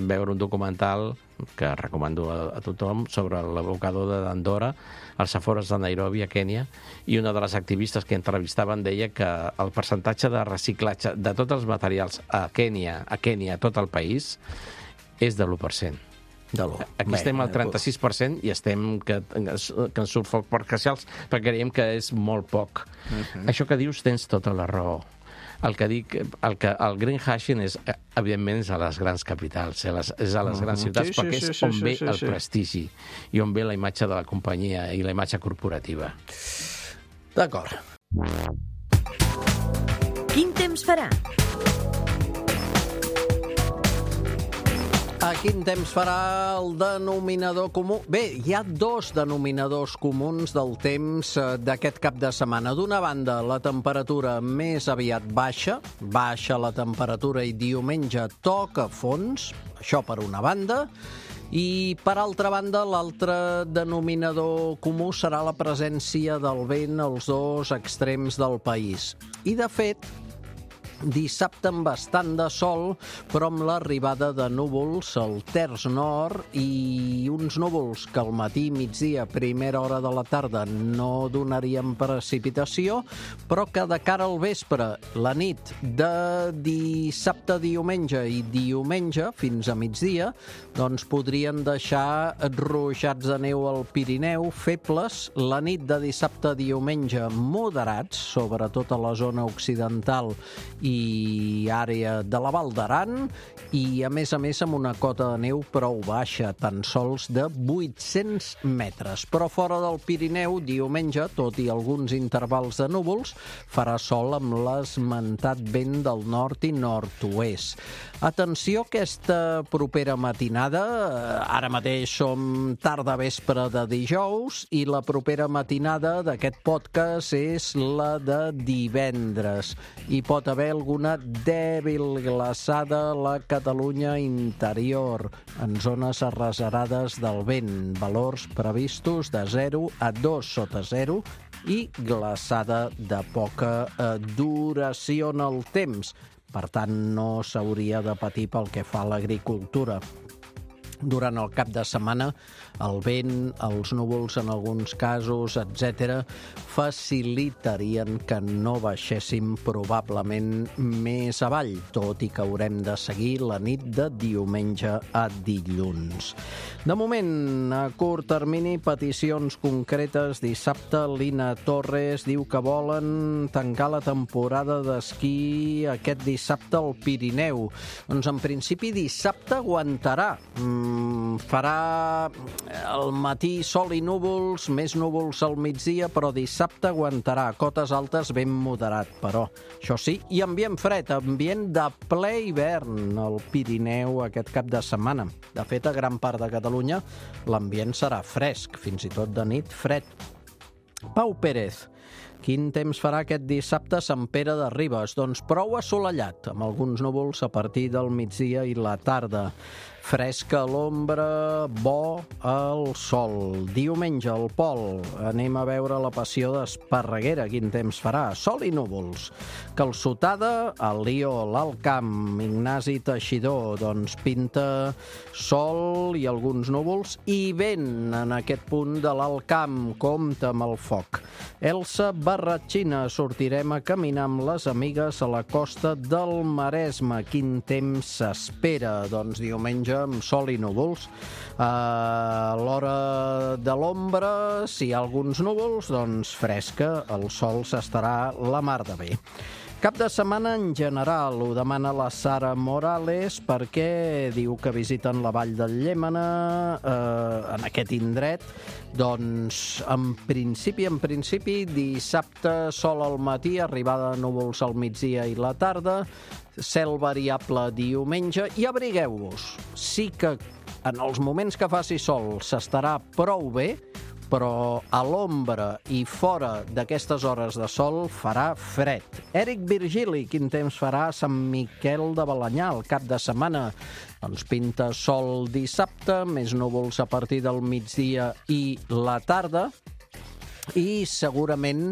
Speaker 5: veure un documental que recomano a tothom sobre l'abocador d'Andorra, als afores de Nairobi, a Kènia, i una de les activistes que entrevistaven deia que el percentatge de reciclatge de tots els materials a Kènia, a tot el país, és de l'1%. Aquí estem al 36% i estem que ens surt foc per queixals perquè creiem que és molt poc. Això que dius tens tota la raó. El que dic, el greenwashing és, evidentment, és a les grans capitals, és a les grans ciutats, perquè és on ve el prestigi i on ve la imatge de la companyia i la imatge corporativa.
Speaker 3: D'acord.
Speaker 1: Quin temps farà?
Speaker 3: A quin temps farà el denominador comú? Bé, hi ha dos denominadors comuns del temps d'aquest cap de setmana. D'una banda, la temperatura més aviat baixa la temperatura i diumenge toca fons, això per una banda, I, per altra banda, l'altre denominador comú serà la presència del vent als dos extrems del país. I, de fet, dissabte amb bastant de sol, però amb l'arribada de núvols al terç nord i uns núvols que al matí, migdia, primera hora de la tarda no donarien precipitació, però que de cara al vespre, la nit de dissabte, diumenge i diumenge fins a migdia, doncs podrien deixar ruixats de neu al Pirineu febles, la nit de dissabte, diumenge moderats, sobretot a la zona occidental i àrea de la Val d'Aran, i a més amb una cota de neu prou baixa, tan sols de 800 metres. Però fora del Pirineu, diumenge, tot i alguns intervals de núvols, farà sol amb l'esmentat vent del nord i nord-oest. Atenció, aquesta propera matinada, ara mateix som tarda vespre de dijous, i la propera matinada d'aquest podcast és la de divendres. Hi pot haver alguna dèbil glaçada a la Catalunya interior, en zones arrecerades del vent, valors previstos de 0 a 2 sota 0 i glaçada de poca duració en el temps. Per tant, no s'hauria de patir pel que fa a l'agricultura. Durant el cap de setmana, el vent, els núvols en alguns casos, etc., facilitarien que no baixéssim probablement més avall, tot i que haurem de seguir la nit de diumenge a dilluns. De moment, a curt termini, peticions concretes. Dissabte, Lina Torres diu que volen tancar la temporada d'esquí aquest dissabte al Pirineu. Doncs, en principi, dissabte aguantarà. Farà al matí sol i núvols, més núvols al migdia, però dissabte aguantarà. Cotes altes ben moderat, però això sí, i ambient fred, ambient de ple hivern al Pirineu aquest cap de setmana. De fet, a gran part de Catalunya l'ambient serà fresc, fins i tot de nit fred. Pau Pérez. Quin temps farà aquest dissabte a Sant Pere de Ribes? Doncs prou assolellat, amb alguns núvols a partir del migdia i la tarda. Fresca a l'ombra, bo al sol. Diumenge, al Pol, anem a veure la Passió d'Esparreguera. Quin temps farà? Sol i núvols. Calçotada, al Lió, l'Alt Camp, Ignasi Teixidor, doncs pinta sol i alguns núvols i vent en aquest punt de l'Alt Camp. Compte amb el foc. Elsa Barratxina, sortirem a caminar amb les amigues a la costa del Maresme. Quin temps s'espera? Doncs diumenge amb sol i núvols. A l'hora de l'ombra, si hi ha alguns núvols, doncs fresca, el sol s'estarà la mar de bé. Cap de setmana en general, ho demana la Sara Morales perquè diu que visiten la Vall del Llémena en aquest indret. Doncs, en principi, dissabte sol al matí, arribada de núvols al migdia i la tarda, cel variable diumenge, i abrigueu-vos. Sí que en els moments que faci sol s'estarà prou bé, però a l'ombra i fora d'aquestes hores de sol farà fred. Eric Virgili, quin temps farà a Sant Miquel de Balenyà el cap de setmana? Doncs pinta sol dissabte, més núvols a partir del migdia i la tarda, i segurament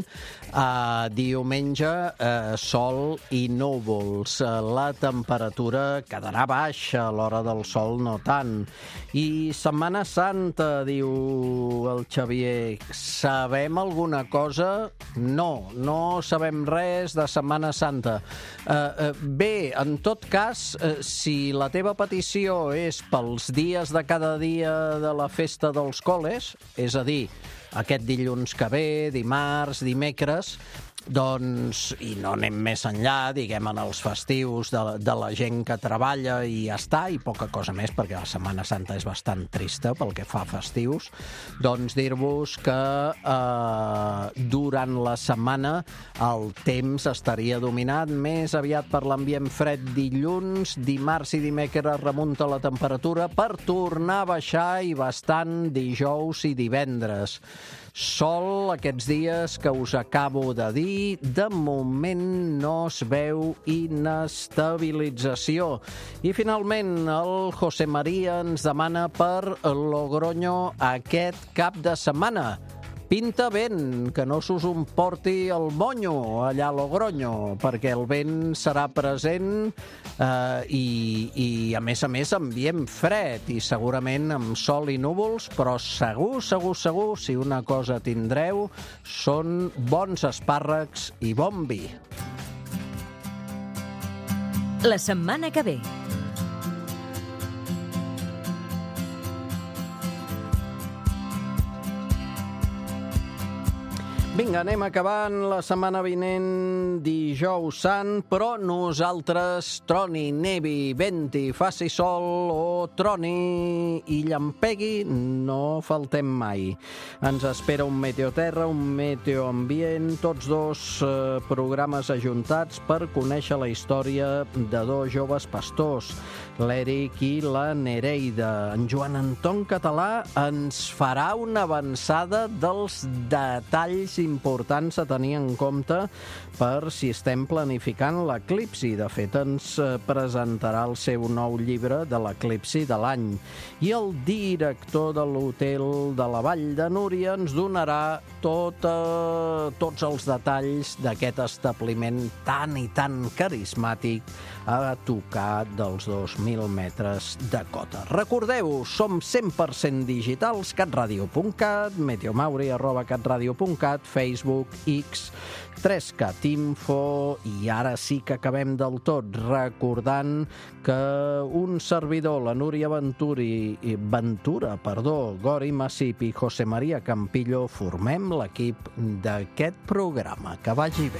Speaker 3: diumenge sol i núvols. La temperatura quedarà baixa, a l'hora del sol no tant. I Setmana Santa, diu el Xavier, sabem alguna cosa? No sabem res de Setmana Santa. Bé, en tot cas, si la teva petició és pels dies de cada dia de la festa dels col·les, és a dir, aquest dilluns que ve, dimarts, dimecres, doncs, i no anem més enllà, diguem, en els festius de la gent que treballa i ja està, i poca cosa més, perquè la Setmana Santa és bastant trista pel que fa a festius, doncs dir-vos que durant la setmana el temps estaria dominat més aviat per l'ambient fred dilluns, dimarts i dimecres remunta la temperatura per tornar a baixar i bastant dijous i divendres. Sol aquests dies que us acabo de dir, de moment no es veu inestabilització. I finalment el José María ens demana per Logroño aquest cap de setmana. Pinta vent, que no s'us emporti el monyo allà a Logroño, perquè el vent serà present i a més, ambient fred i segurament amb sol i núvols, però segur, si una cosa tindreu, són bons espàrrecs i bon vi.
Speaker 1: La setmana que ve.
Speaker 3: Vinga, anem acabant la setmana vinent, dijous sant, però nosaltres, troni, nevi, venti, faci sol o troni i llampegui, no faltem mai. Ens espera un Meteoterra, un Meteoambient, tots dos programes ajuntats per conèixer la història de dos joves pastors, l'Eric i la Nereida. En Joan Anton Català ens farà una avançada dels detalls importants a tenir en compte per si estem planificant l'eclipsi. De fet, ens presentarà el seu nou llibre de l'eclipsi de l'any. I el director de l'hotel de la Vall de Núria ens donarà tots els detalls d'aquest establiment tan i tan carismàtic a tocar dels 2.000 metres de cota. Recordeu, som 100% digitals, catradio.cat, meteomauri@catradio.cat, Facebook, X, 3Cat Info, i ara sí que acabem del tot recordant que un servidor, la Núria Ventura, Gori Massip i José María Campillo, formem l'equip d'aquest programa. Que vagi bé.